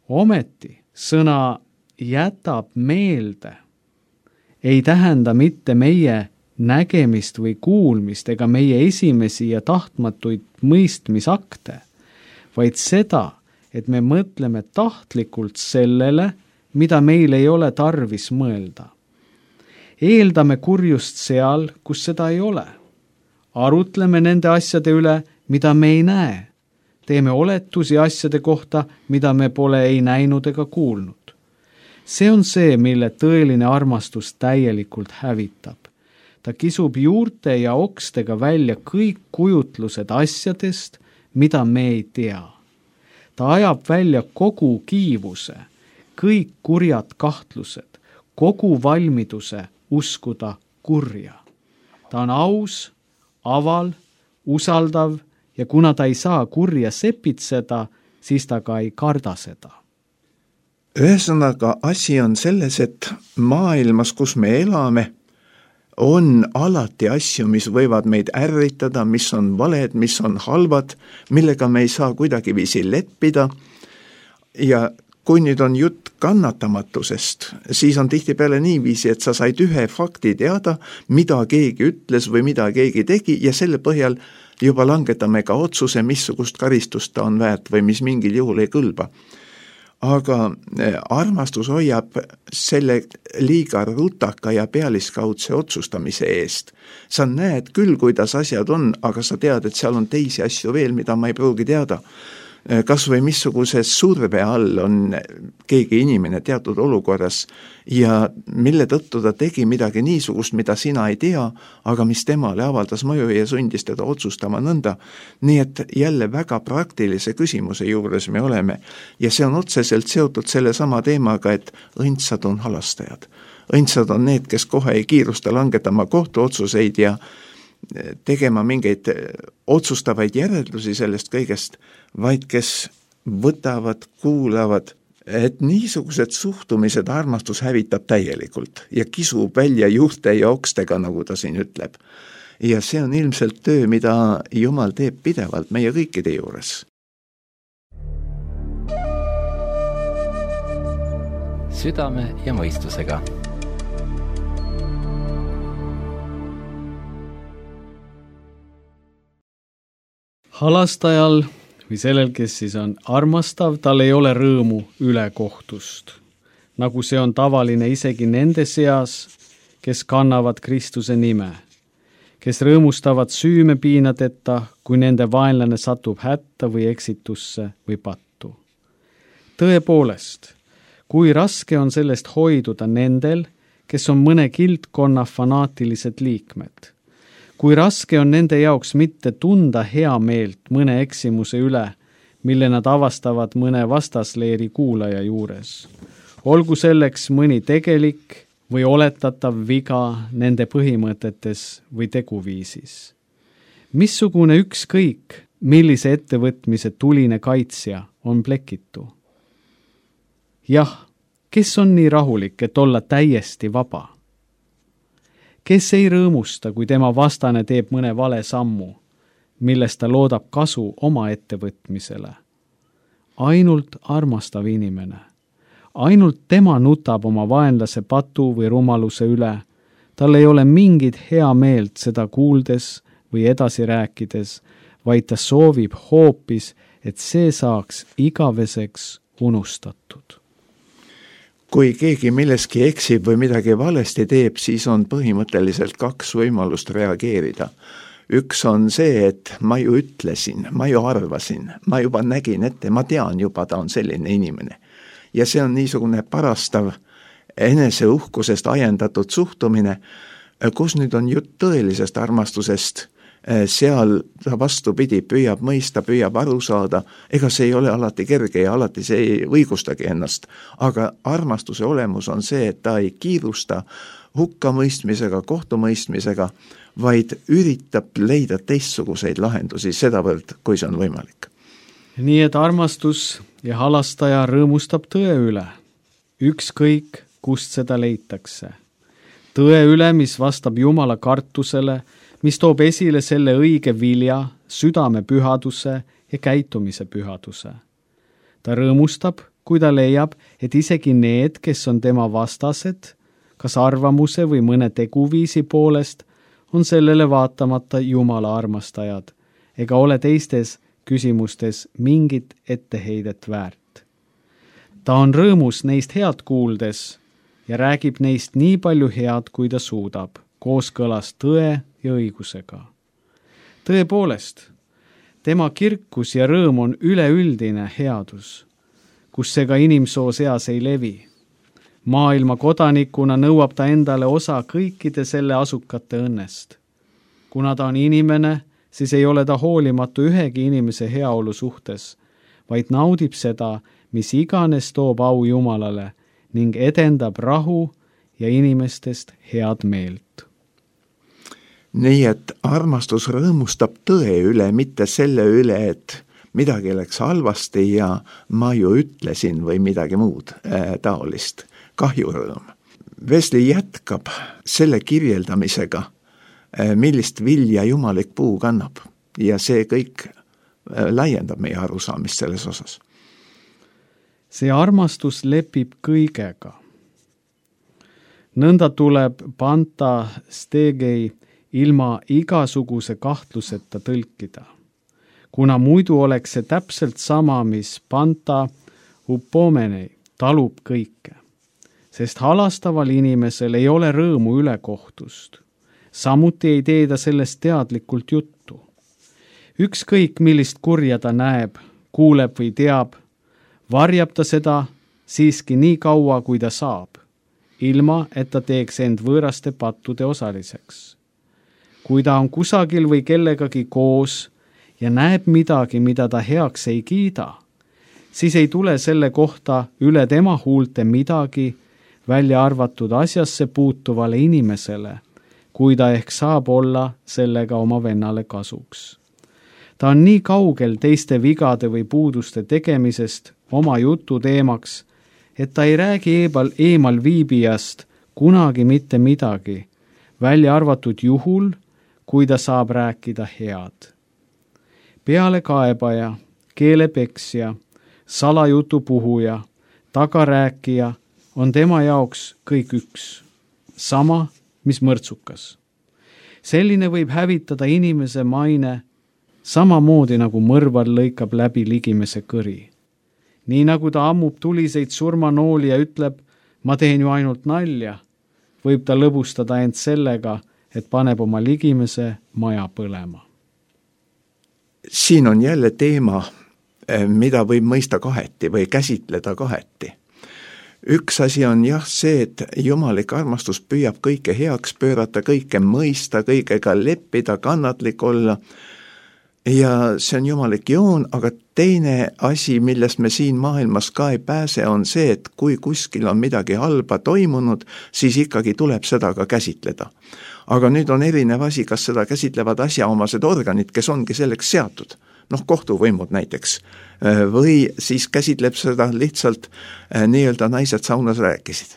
Ometi sõna jätab meelde ei tähenda mitte meie nägemist või kuulmist ega meie esimesi ja tahtmatuid mõistmisakte, vaid seda, et me mõtleme tahtlikult sellele, mida meil ei ole tarvis mõelda. Eeldame kurjust seal, kus seda ei ole. Arutleme nende asjade üle, mida me ei näe. Teeme oletusi asjade kohta, mida me pole ei näinud ega kuulnud. See on see, mille tõeline armastus täielikult hävitab. Ta kisub juurte ja okstega välja kõik kujutlused asjadest, mida me ei tea. Ta ajab välja kogu kiivuse, kõik kurjad kahtlused, kogu valmiduse uskuda kurja. Ta on aus, aval, usaldav ja kuna ta ei saa kurja sepitseda, siis ta ka ei karda seda. Ühesõnaga, asi on selles, et maailmas, kus me elame, on alati asju, mis võivad meid ärritada, mis on valed, mis on halvad, millega me ei saa kuidagiviisi leppida. Ja kui nüüd on jutt kannatamatusest, siis on tihtipeale niiviisi, et sa said ühe fakti teada, mida keegi ütles või mida keegi tegi ja selle põhjal juba langetame ka otsuse, missugust karistust ta on väärt või mis mingil juhul ei kõlba. Aga armastus hoiab selle liiga rutaka ja pealiskaudse otsustamise eest. Sa näed küll, kuidas asjad on, aga sa tead, et seal on teisi asju veel, mida ma ei pruugi teada. Kas või missuguse surve all on keegi inimene teatud olukorras ja mille tõttu ta tegi midagi niisugust, mida sina ei tea, aga mis temale avaldas mõju ja sundis teda otsustama nõnda. Nii et jälle väga praktilise küsimuse juures me oleme ja see on otseselt seotud selle sama teemaga, et õndsad on halastajad. Õndsad on need, kes kohe ei kiirusta langetama kohtuotsuseid ja tegema mingeid otsustavaid järeldusi sellest kõigest, vaid kes võtavad, kuulavad, et niisugused suhtumised armastus hävitab täielikult ja kisub välja juurte ja okstega, nagu ta siin ütleb. Ja see on ilmselt töö, mida Jumal teeb pidevalt meie kõikide juures. Südame ja mõistusega. Halastajal või sellel, kes siis on armastav, tal ei ole rõõmu ülekohtust, nagu see on tavaline isegi nende seas, kes kannavad Kristuse nime, kes rõõmustavad süümepiinadeta, kui nende vaenlane satub hätta või eksitusse või pattu. Tõepoolest, kui raske on sellest hoiduda nendel, kes on mõne kildkonna fanaatilised liikmed. Kui raske on nende jaoks mitte tunda hea meelt mõne eksimuse üle, mille nad avastavad mõne vastasleeri kuulaja juures. Olgu selleks mõni tegelik või oletatav viga nende põhimõtetes või teguviisis. Missugune ükskõik, millise ettevõtmise tuline kaitsja on plekitu? Jah, kes on nii rahulik, et olla täiesti vaba? Kes ei rõõmusta, kui tema vastane teeb mõne vale sammu, millest ta loodab kasu oma ettevõtmisele? Ainult armastav inimene. Ainult tema nutab oma vaenlase patu või rumaluse üle. Tal ei ole mingit hea meelt seda kuuldes või edasi rääkides, vaid ta soovib hoopis, et see saaks igaveseks unustatud. Kui keegi milleski eksib või midagi valesti teeb, siis on põhimõtteliselt kaks võimalust reageerida. Üks on see, et ma ju ütlesin, ma ju arvasin, ma juba nägin ette, ma tean juba, ta on selline inimene. Ja see on niisugune parastav eneseuhkusest ajendatud suhtumine, kus nüüd on jutt tõelisest armastusest, seal ta vastupidi püüab mõista, püüab aru saada, ega see ei ole alati kerge ja alati see ei õigustagi ennast, aga armastuse olemus on see, et ta ei kiirusta hukkamõistmisega, kohtumõistmisega, vaid üritab leida teistsuguseid lahendusi sedavõrd, kui see on võimalik. Nii et armastus ja halastaja rõõmustab tõe üle, ükskõik kust seda leitakse. Tõe üle, mis vastab Jumala kartusele, mis toob esile selle õige vilja, südame pühaduse ja käitumise pühaduse. Ta rõõmustab, kui ta leiab, et isegi need, kes on tema vastased, kas arvamuse või mõne teguviisi poolest, on sellele vaatamata Jumala armastajad ega ole teistes küsimustes mingit etteheidet väärt. Ta on rõõmus neist head kuuldes ja räägib neist nii palju head, kui ta suudab, kooskõlas tõe ja õigusega. Tõepoolest, tema kirkus ja rõõm on üleüldine headus, kus see ka inimsoo seas ei levi. Maailma kodanikuna nõuab ta endale osa kõikide selle asukate õnnest. Kuna ta on inimene, siis ei ole ta hoolimatu ühegi inimese heaolu suhtes, vaid naudib seda, mis iganes toob au Jumalale ning edendab rahu ja inimestest head meelt. Nii et armastus rõõmustab tõe üle, mitte selle üle, et midagi läks halvasti ja ma ju ütlesin või midagi muud taolist. Kahjurõõm. Wesley jätkab selle kirjeldamisega, millist vilja jumalik puu kannab ja see kõik laiendab meie arusaamist selles osas. See armastus lepib kõigega. Nõnda tuleb panta stegei ilma igasuguse kahtluseta tõlkida, kuna muidu oleks see täpselt sama, mis panta upomenei, talub kõike. Sest halastaval inimesel ei ole rõõmu ülekohtust. Samuti ei tee ta sellest teadlikult juttu. Ükskõik, millist kurja ta näeb, kuuleb või teab, varjab ta seda siiski nii kaua, kui ta saab, ilma et ta teeks end võõraste pattude osaliseks. Kui ta on kusagil või kellegagi koos ja näeb midagi, mida ta heaks ei kiida, siis ei tule selle kohta üle tema huulte midagi, välja arvatud asjasse puutuvale inimesele, kui ta ehk saab olla sellega oma vennale kasuks. Ta on nii kaugel teiste vigade või puuduste tegemisest oma jutu teemaks, et ta ei räägi eemal viibijast kunagi mitte midagi, välja arvatud juhul, kui ta saab rääkida head. Pealekaebaja, keelepeksja, salajutu puhuja, tagarääkija on tema jaoks kõik üks, sama, mis mõrtsukas. Selline võib hävitada inimese maine samamoodi nagu mõrvar lõikab läbi ligimese kõri. Nii nagu ta ammub tuliseid surmanooli ja ütleb, ma teen ju ainult nalja, võib ta lõbustada end sellega, et paneb oma ligimese maja põlema. Siin on jälle teema, mida võib mõista kaheti või käsitleda kaheti. Üks asi on see, et jumalik armastus püüab kõike heaks pöörata, kõike mõista, kõigega leppida, kannatlik olla ja see on jumalik joon, aga teine asi, millest me siin maailmas ka ei pääse, on see, et kui kuskil on midagi halba toimunud, siis ikkagi tuleb seda ka käsitleda. Aga nüüd on erinev asi, kas seda käsitlevad asjaomased organid, kes ongi selleks seatud. Kohtuvõimud näiteks, või siis käsitleb seda lihtsalt nii-öelda naised saunas rääkisid,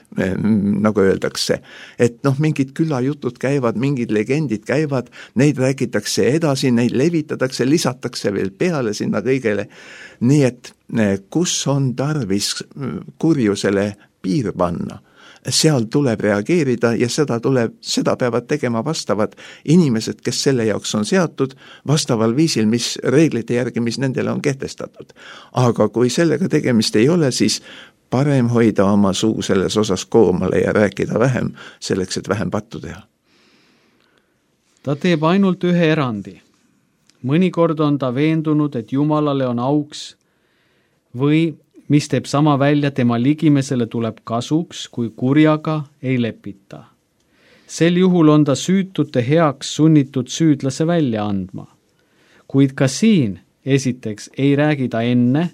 nagu öeldakse. Et mingid külajutud käivad, mingid legendid käivad, neid räägitakse edasi, neid levitatakse, lisatakse veel peale sinna kõigele. Nii et kus on tarvis kurjusele piir panna, seal tuleb reageerida ja seda peavad tegema vastavad inimesed, kes selle jaoks on seatud, vastaval viisil, mis reeglite järgi, mis nendele on kehtestatud. Aga kui sellega tegemist ei ole, siis parem hoida oma suu selles osas koomale ja rääkida vähem, selleks, et vähem pattu teha. Ta teeb ainult ühe erandi. Mõnikord on ta veendunud, et Jumalale on auks või mis teeb sama välja tema ligimesele tuleb kasuks, kui kurjaga ei lepita. Sel juhul on ta süütute heaks sunnitud süüdlase välja andma. Kuid ka siin esiteks ei räägi ta enne,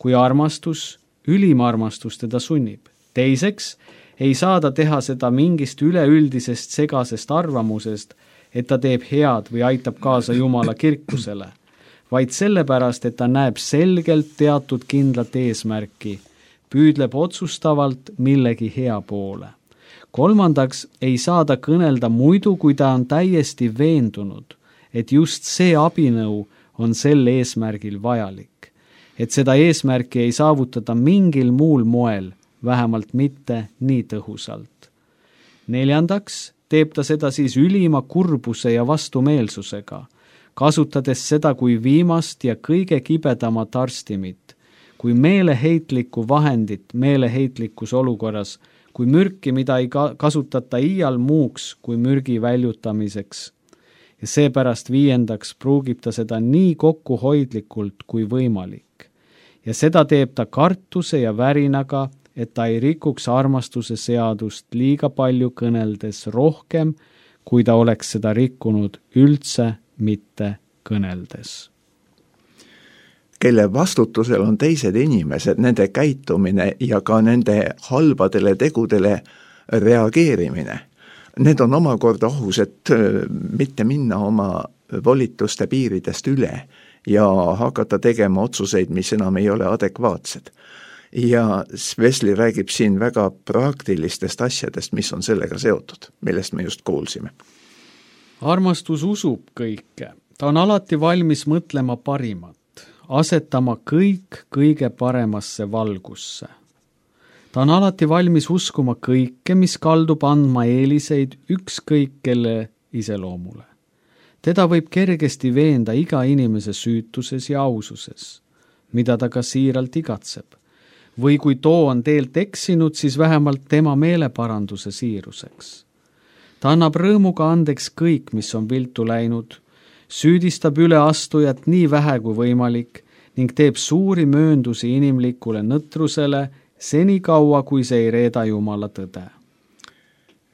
kui armastus, ülim armastus teda sunnib. Teiseks ei saa ta teha seda mingist üleüldisest segasest arvamusest, et ta teeb head või aitab kaasa Jumala kirkusele, vaid sellepärast, et ta näeb selgelt teatud kindlat eesmärki, püüdleb otsustavalt millegi hea poole. Kolmandaks ei saa ta kõnelda muidu, kui ta on täiesti veendunud, et just see abinõu on sel eesmärgil vajalik, et seda eesmärki ei saavutada mingil muul moel, vähemalt mitte nii tõhusalt. Neljandaks teeb ta seda siis ülima kurbuse ja vastumeelsusega, kasutades seda kui viimast ja kõige kibedamat arstimit, kui meeleheitlikku vahendit meeleheitlikus olukorras, kui mürki, mida ei kasutata iial muuks kui mürgi väljutamiseks. Ja seepärast 5. pruugib ta seda nii kokkuhoidlikult kui võimalik. Ja seda teeb ta kartuse ja värinaga, et ta ei rikuks armastuse seadust liiga palju kõneldes rohkem, kui ta oleks seda rikkunud üldse mitte kõneldes. Kelle vastutusel on teised inimesed, nende käitumine ja ka nende halbadele tegudele reageerimine. Need on omakorda ohus, et mitte minna oma volituste piiridest üle ja hakata tegema otsuseid, mis enam ei ole adekvaatsed. Ja Wesley räägib siin väga praktilistest asjadest, mis on sellega seotud, millest me just kuulsime. Armastus usub kõike. Ta on alati valmis mõtlema parimat, asetama kõik kõige paremasse valgusse. Ta on alati valmis uskuma kõike, mis kaldub andma eeliseid ükskõik kelle iseloomule. Teda võib kergesti veenda iga inimese süütuses ja aususes, mida ta ka siiralt igatseb. Või kui too on teelt eksinud, siis vähemalt tema meeleparanduse siiruseks. Ta annab rõõmuga andeks kõik, mis on viltu läinud, süüdistab üleastujat nii vähe kui võimalik ning teeb suuri mööndusi inimlikule nõtrusele senikaua, kui see ei reeda Jumala tõde.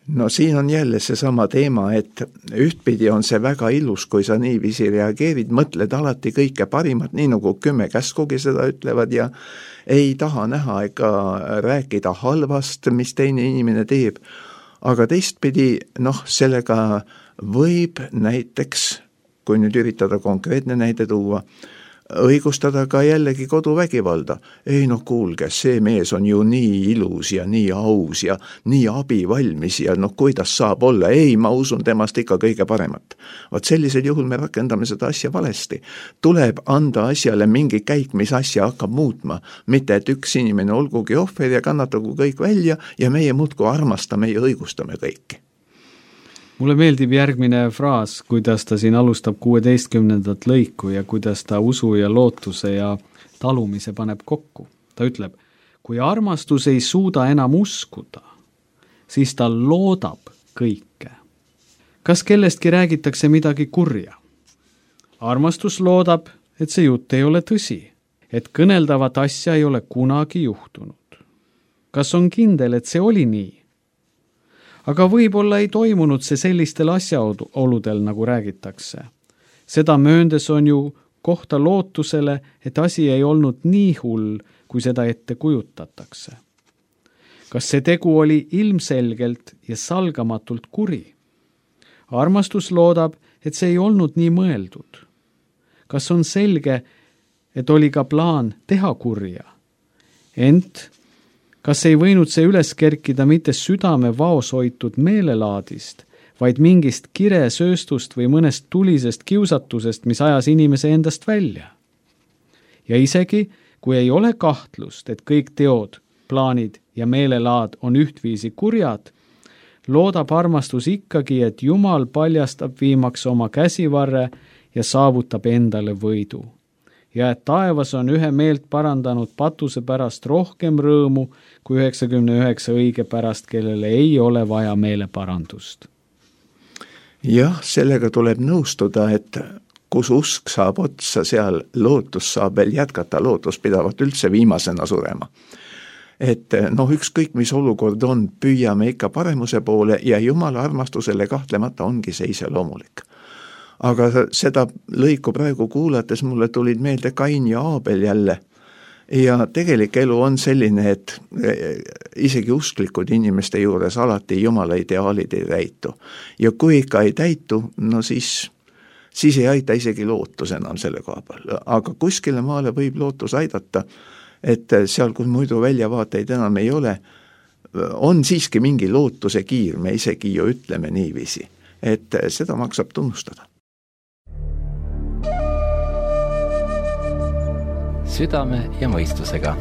No siin on jälle seesama teema, et ühtpidi on see väga ilus, kui sa niiviisi reageerid, mõtled alati kõike parimat, nii nagu 10 käskugi seda ütlevad ja ei taha näha ega rääkida halvast, mis teine inimene teeb. Aga teistpidi, sellega võib näiteks, kui nüüd üritada konkreetne näide tuua, õigustada ka jällegi koduvägivalda. Ei kuulge, see mees on ju nii ilus ja nii aus ja nii abivalmis ja kuidas saab olla, ei, ma usun temast ikka kõige paremat. Vaat sellisel juhul me rakendame seda asja valesti. Tuleb anda asjale mingi käik, mis asja hakkab muutma, mitte et üks inimene olgugi ohver ja kannatagu kõik välja ja meie muudkui armastame ja õigustame kõiki. Mulle meeldib järgmine fraas, kuidas ta siin alustab 16. lõiku ja kuidas ta usu ja lootuse ja talumise paneb kokku. Ta ütleb, kui armastus ei suuda enam uskuda, siis ta loodab kõike. Kas kellestki räägitakse midagi kurja? Armastus loodab, et see jutt ei ole tõsi, et kõneldavat asja ei ole kunagi juhtunud. Kas on kindel, et see oli nii? Aga võib-olla ei toimunud see sellistel asjaoludel, nagu räägitakse. Seda mööndes on ju kohta lootusele, et asi ei olnud nii hull, kui seda ette kujutatakse. Kas see tegu oli ilmselgelt ja salgamatult kuri? Armastus loodab, et see ei olnud nii mõeldud. Kas on selge, et oli ka plaan teha kurja? Ent kas ei võinud see üles kerkida mitte südame vaoshoitud meelelaadist, vaid mingist kiresööstust või mõnest tulisest kiusatusest, mis ajas inimese endast välja? Ja isegi, kui ei ole kahtlust, et kõik teod, plaanid ja meelelaad on ühtviisi kurjad, loodab armastus ikkagi, et Jumal paljastab viimaks oma käsivarre ja saavutab endale võidu. Ja et taevas on ühe meelt parandanud patuse pärast rohkem rõõmu kui 99 õige pärast, kellele ei ole vaja meeleparandust. Jah, sellega tuleb nõustuda, et kus usk saab otsa, seal lootus saab veel jätkata, lootus pidavat üldse viimasena surema. Et ükskõik mis olukord on, püüame ikka paremuse poole ja Jumala armastusele kahtlemata ongi see iseloomulik. Aga seda lõiku praegu kuulates mulle tulid meelde Kain ja Aabel jälle. Ja tegelik elu on selline, et isegi usklikud inimeste juures alati Jumala ideaalid ei täitu. Ja kui ikka ei täitu, siis ei aita isegi lootus enam selle koha peal. Aga kuskile maale võib lootus aidata, et seal, kus muidu väljavaateid enam ei ole, on siiski mingi lootuse kiir, me isegi ju ütleme niiviisi, et seda maksab tunnustada. Südame ja mõistusega.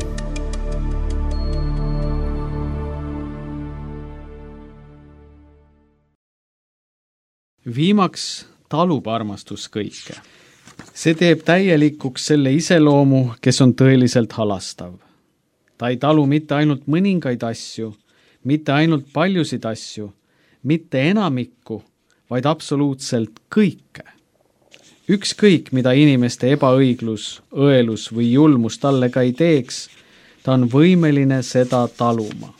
Viimaks talub armastus kõike. See teeb täielikuks selle iseloomu, kes on tõeliselt halastav. Ta ei talu mitte ainult mõningaid asju, mitte ainult paljusid asju, mitte enamikku, vaid absoluutselt kõike. Ükskõik, mida inimeste ebaõiglus, õelus või julmus talle ka ei teeks, ta on võimeline seda taluma.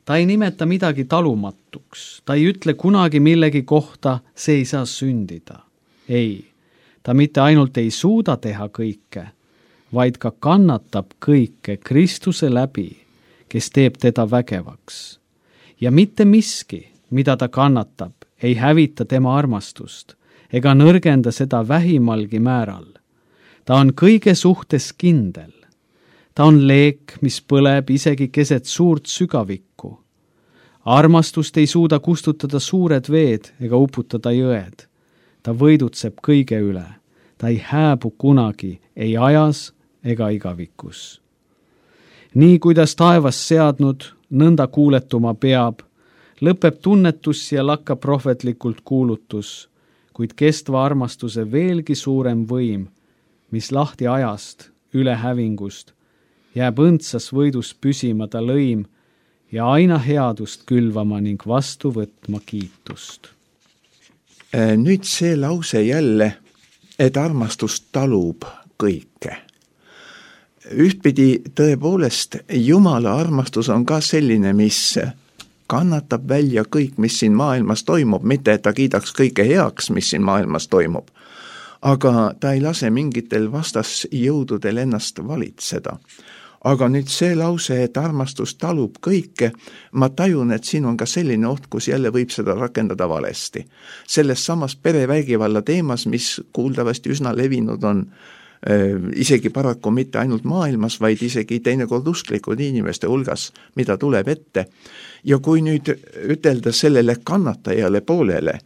Ta ei nimeta midagi talumatuks, ta ei ütle kunagi millegi kohta, see ei saa sündida. Ei, ta mitte ainult ei suuda teha kõike, vaid ka kannatab kõike Kristuse läbi, kes teeb teda vägevaks. Ja mitte miski, mida ta kannatab, ei hävita tema armastust ega nõrgenda seda vähimalgi määral. Ta on kõige suhtes kindel. Ta on leek, mis põleb isegi keset suurt sügavikku. Armastust ei suuda kustutada suured veed ega uputada jõed. Ta võidutseb kõige üle. Ta ei hääbu kunagi, ei ajas ega igavikus. Nii kuidas taevas seadnud, nõnda kuuletuma peab, lõpeb tunnetus ja lakkab prohvetlikult kuulutus, kuid kestva armastuse veelgi suurem võim, mis lahti ajast, üle hävingust, jääb õndsas võidus püsima ta lõim ja aina headust külvama ning vastu võtma kiitust. Nüüd see lause jälle, et armastus talub kõike. Ühtpidi tõepoolest Jumala armastus on ka selline, mis kannatab välja kõik, mis siin maailmas toimub, mitte et ta kiidaks kõike heaks, mis siin maailmas toimub, aga ta ei lase mingitel vastasjõududel ennast valitseda. Aga nüüd see lause, et armastus talub kõike, ma tajun, et siin on ka selline oht, kus jälle võib seda rakendada valesti. Selles samas perevägivalla teemas, mis kuuldavasti üsna levinud on, isegi paraku mitte ainult maailmas, vaid isegi teinekord usklikud inimeste hulgas, mida tuleb ette. Ja kui nüüd ütelda sellele kannatajale poolele,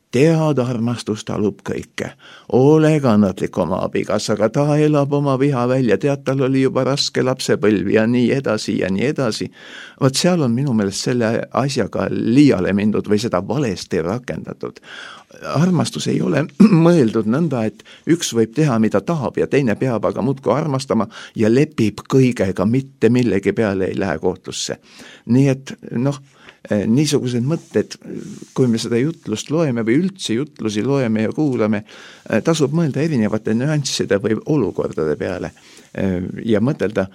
tead, armastus talub kõike, ole kannatlik oma abikaasaga, ta elab oma viha välja, tead, tal oli juba raske lapsepõlv ja nii edasi ja nii edasi. Vot seal on minu meelest selle asjaga liiale mindud või seda valesti rakendatud. Armastus ei ole mõeldud nõnda, et üks võib teha, mida tahab ja teine peab aga muudkui armastama ja lepib kõigega, mitte millegi peale ei lähe kohtusse. Nii et niisugused mõtted, kui me seda jutlust loeme või üldse jutlusi loeme ja kuulame, tasub mõelda erinevate nüansside või olukordade peale ja mõtelda,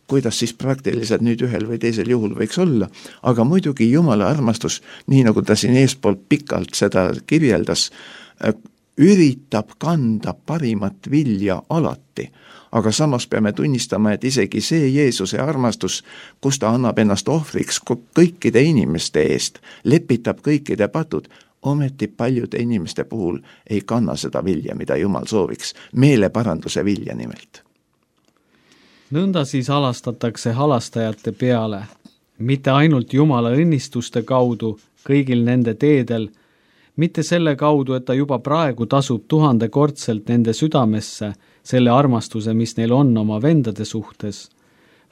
kuidas siis praktiliselt nüüd ühel või teisel juhul võiks olla, aga muidugi Jumala armastus, nii nagu ta siin eespoolt pikalt seda kirjeldas, üritab kanda parimat vilja alati, aga samas peame tunnistama, et isegi see Jeesuse armastus, kus ta annab ennast ohvriks kõikide inimeste eest, lepitab kõikide patud, ometi paljude inimeste puhul ei kanna seda vilja, mida Jumal sooviks, meeleparanduse vilja nimelt. Nõnda siis halastatakse halastajate peale, mitte ainult Jumala õnnistuste kaudu kõigil nende teedel, mitte selle kaudu, et ta juba praegu tasub 1000-kordselt nende südamesse selle armastuse, mis neil on oma vendade suhtes,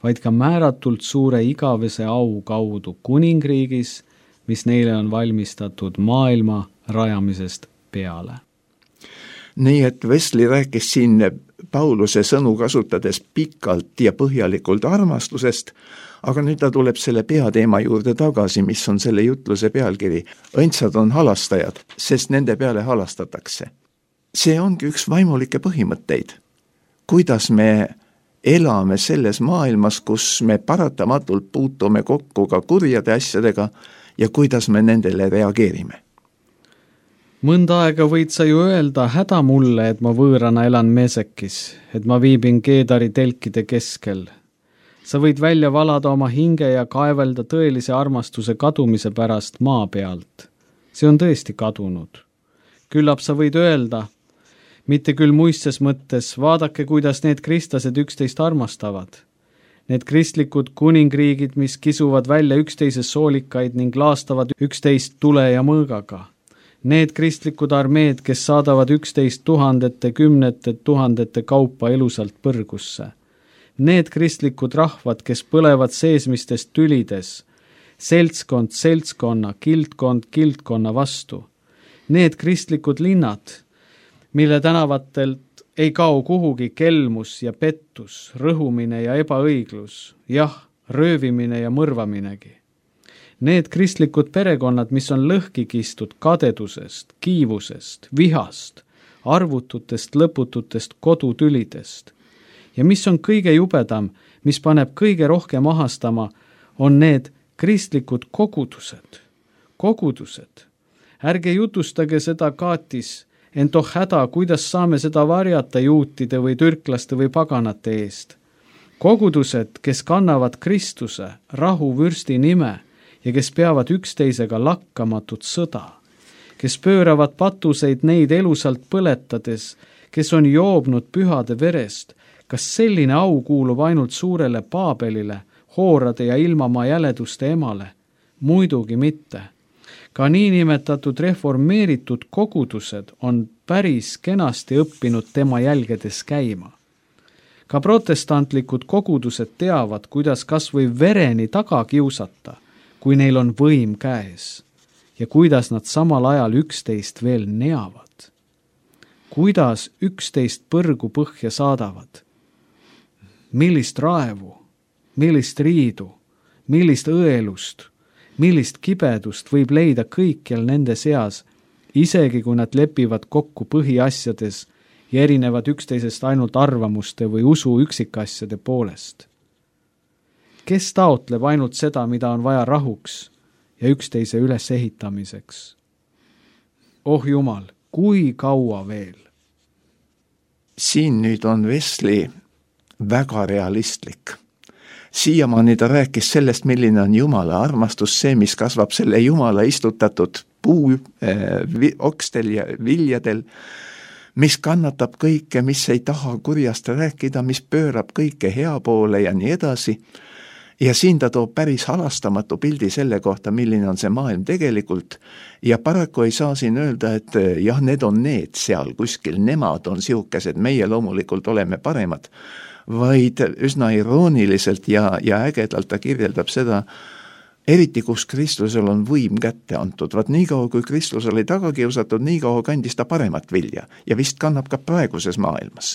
vaid ka määratult suure igavese au kaudu kuningriigis, mis neile on valmistatud maailma rajamisest peale. Nii et Wesley rääkis siin Pauluse sõnu kasutades pikalt ja põhjalikult armastusest, aga nüüd ta tuleb selle peateema juurde tagasi, mis on selle jutluse pealkiri. Õndsad on halastajad, sest nende peale halastatakse. See ongi üks vaimulikke põhimõtteid. Kuidas me elame selles maailmas, kus me paratamatult puutume kokku ka kurjade asjadega ja kuidas me nendele reageerime. Mõnda aega võid sa ju öelda häda mulle, et ma võõrana elan Mesekis, et ma viibin Keedari telkide keskel. Sa võid välja valada oma hinge ja kaevelda tõelise armastuse kadumise pärast maa pealt. See on tõesti kadunud. Küllap sa võid öelda, mitte küll muistes mõttes, vaadake, kuidas need kristlased üksteist armastavad. Need kristlikud kuningriigid, mis kisuvad välja üksteise soolikaid ning laastavad üksteist tule ja mõõgaga. Need kristlikud armeed, kes saadavad 11 000 10 000 kaupa elusalt põrgusse. Need kristlikud rahvad, kes põlevad seesmistest tülides, seltskond seltskonna, kildkond kildkonna vastu. Need kristlikud linnad, mille tänavatelt ei kao kuhugi kelmus ja pettus, rõhumine ja ebaõiglus, jah, röövimine ja mõrvaminegi. Need kristlikud perekonnad, mis on lõhki kistud kadedusest, kiivusest, vihast, arvututest lõpututest kodutülidest. Ja mis on kõige jubedam, mis paneb kõige rohkem ahastama, on need kristlikud kogudused. Kogudused. Ärge jutustage seda kaatis, ent oh häda, kuidas saame seda varjata juutide või türklaste või paganate eest. Kogudused, kes kannavad Kristuse, rahuvürsti nime ja kes peavad üksteisega lakkamatut sõda, kes pööravad patuseid neid elusalt põletades, kes on joobnud pühade verest. Kas selline au kuulub ainult suurele Paabelile, hoorade ja ilmamaa jäleduste emale? Muidugi mitte. Ka niinimetatud reformeeritud kogudused on päris kenasti õppinud tema jälgedes käima. Ka protestantlikud kogudused teavad, kuidas kas või vereni taga kiusata, kui neil on võim käes, ja kuidas nad samal ajal üksteist veel neavad. Kuidas üksteist põrgu põhja saadavad. Millist raevu, millist riidu, millist õelust, millist kibedust võib leida kõikjal nende seas, isegi kui nad lepivad kokku põhiasjades ja erinevad üksteisest ainult arvamuste või usu üksikasjade poolest. Kes taotleb ainult seda, mida on vaja rahuks ja üksteise ülesehitamiseks? Oh Jumal, kui kaua veel? Siin nüüd on Wesley väga realistlik. Siiamaani ta rääkis sellest, milline on Jumala armastus, see, mis kasvab selle Jumala istutatud puu, okstel ja viljadel, mis kannatab kõike, mis ei taha kurjast rääkida, mis pöörab kõike hea poole ja nii edasi. Ja siin ta toob päris halastamatu pildi selle kohta, milline on see maailm tegelikult. Ja paraku ei saa siin öelda, et jah, need on need seal kuskil, nemad on siukesed, meie loomulikult oleme paremad, vaid üsna irooniliselt ja ägedalt ta kirjeldab seda, eriti kus Kristusel on võim kätte antud. Vaat nii kaua, kui Kristus oli taga kiusatud, nii kaua kandis ta paremat vilja ja vist kannab ka praeguses maailmas.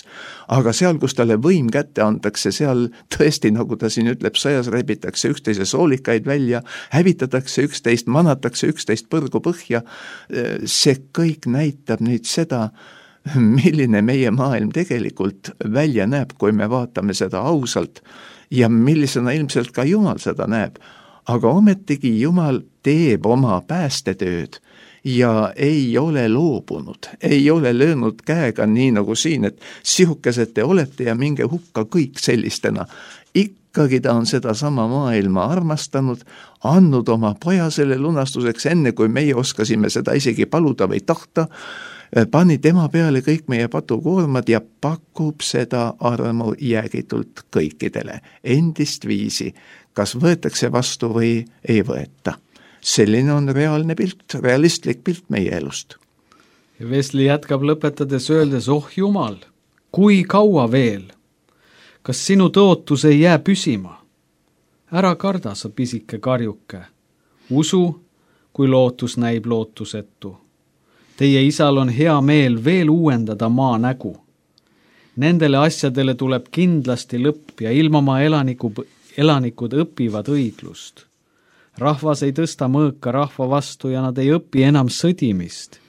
Aga seal, kus talle võim kätte antakse, seal tõesti, nagu ta siin ütleb, sõjas rebitakse üksteise soolikaid välja, hävitatakse üksteist, manatakse üksteist põrgu põhja. See kõik näitab nüüd seda, milline meie maailm tegelikult välja näeb, kui me vaatame seda ausalt ja millisena ilmselt ka Jumal seda näeb. Aga ometigi Jumal teeb oma päästetööd ja ei ole loobunud, ei ole löönud käega nii nagu siin, et sihukesed te olete ja minge hukka kõik sellistena. Ikkagi ta on seda sama maailma armastanud, andnud oma poja selle lunastuseks, enne kui meie oskasime seda isegi paluda või tahta, pani tema peale kõik meie patukoormad ja pakub seda armu jäägitult kõikidele, endist viisi, kas võetakse vastu või ei võeta. Selline on reaalne pilt, realistlik pilt meie elust. Ja Wesley jätkab lõpetades öeldes, oh Jumal, kui kaua veel? Kas sinu tõotus ei jää püsima? Ära karda sa pisike karjuke. Usu, kui lootus näib lootusetu. Teie isal on hea meel veel uuendada maa nägu. Nendele asjadele tuleb kindlasti lõpp ja ilmamaa elanikud õpivad õiglust. Rahvas ei tõsta mõõka rahva vastu ja nad ei õpi enam sõdimist.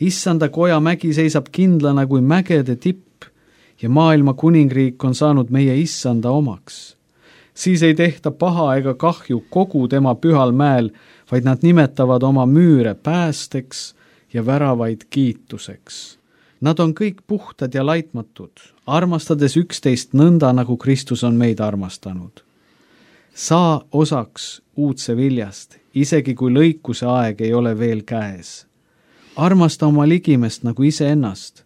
Issanda koja mägi seisab kindlana kui mägede tipp ja maailma kuningriik on saanud meie issanda omaks. Siis ei tehta paha ega kahju kogu tema pühal mäel, vaid nad nimetavad oma müüre päästeks ja väravaid kiituseks. Nad on kõik puhtad ja laitmatud, armastades üksteist nõnda, nagu Kristus on meid armastanud. Saa osaks uudse viljast, isegi kui lõikuse aeg ei ole veel käes. Armasta oma ligimest nagu iseennast.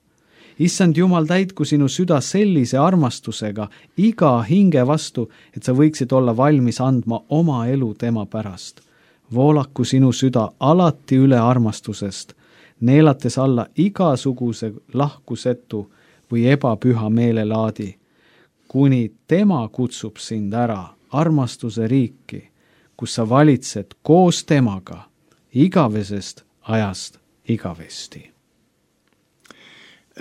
Issand Jumal, täitku sinu süda sellise armastusega iga hinge vastu, et sa võiksid olla valmis andma oma elu tema pärast. Voolaku sinu süda alati üle armastusest, neelates alla igasuguse lahkusetu või ebapüha meelelaadi, kuni tema kutsub sind ära armastuse riiki, kus sa valitsed koos temaga igavesest ajast igavesti.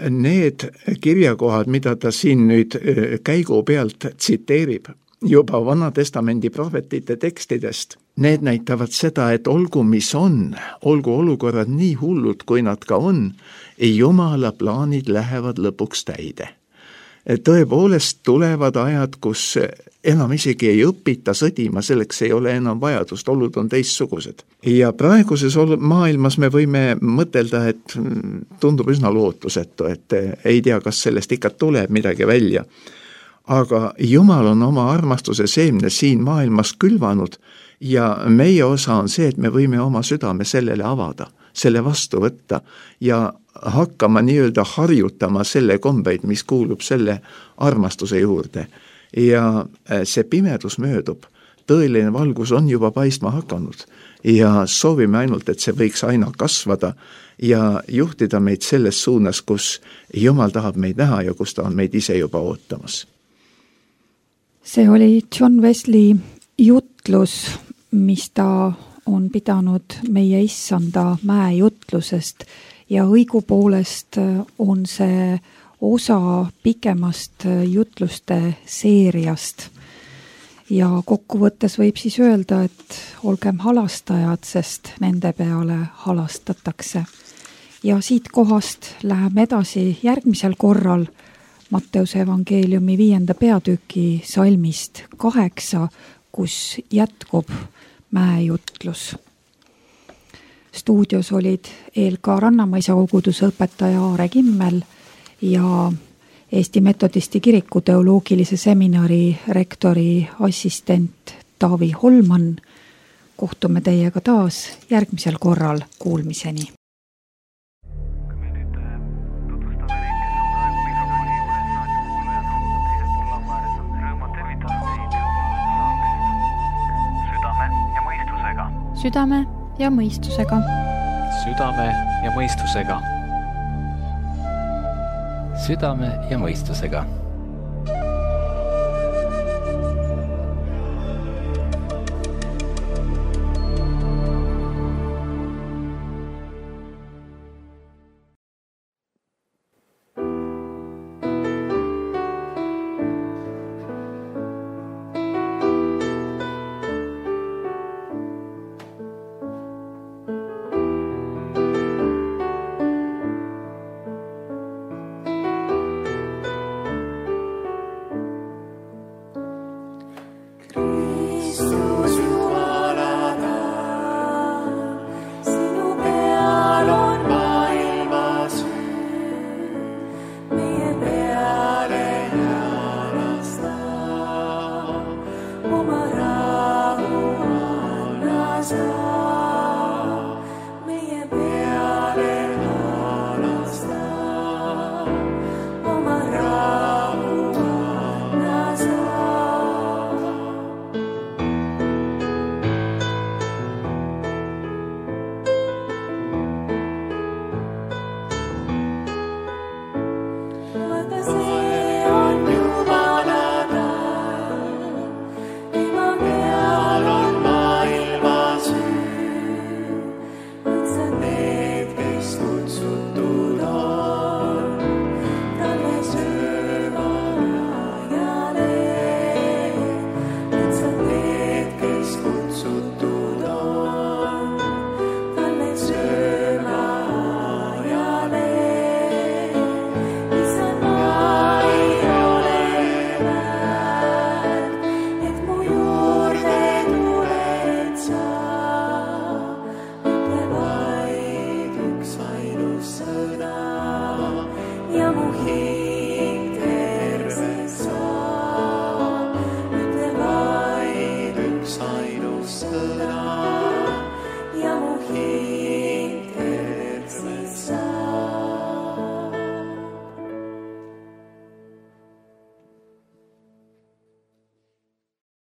Need kirjakohad, mida ta siin nüüd käigu pealt tsiteerib, juba Vana-testamendi prohvetite tekstidest, need näitavad seda, et olgu mis on, olgu olukorrad nii hullud, kui nad ka on, Jumala plaanid lähevad lõpuks täide. Tõepoolest tulevad ajad, kus enam isegi ei õpita sõdima, selleks ei ole enam vajadust, olud on teistsugused. Ja praeguses maailmas me võime mõtelda, et tundub üsna lootusetu, et ei tea, kas sellest ikka tuleb midagi välja. Aga Jumal on oma armastuse seemne siin maailmas külvanud ja meie osa on see, et me võime oma südame sellele avada, selle vastu võtta ja hakkama nii-öelda harjutama selle kombeid, mis kuulub selle armastuse juurde. Ja see pimedus möödub, tõeline valgus on juba paistma hakanud ja soovime ainult, et see võiks aina kasvada ja juhtida meid selles suunas, kus Jumal tahab meid näha ja kus ta on meid ise juba ootamas. See oli John Wesley jutlus, mis ta on pidanud meie issanda mäejutlusest ja õigupoolest on see osa pikemast jutluste seeriast. Ja kokkuvõttes võib siis öelda, et olgem halastajad, sest nende peale halastatakse. Ja siit kohast läheme edasi järgmisel korral Matteuse evangeeliumi 5. peatüki salmist 8, kus jätkub mäejutlus. Stuudios olid ELK Rannamõisa koguduse õpetaja Aare Kimmel ja Eesti Metodisti kiriku teoloogilise seminari rektori assistent Taavi Holman. Kohtume teiega taas järgmisel korral, kuulmiseni. Südame ja mõistusega. Südame ja mõistusega. Südame ja mõistusega. Ja mu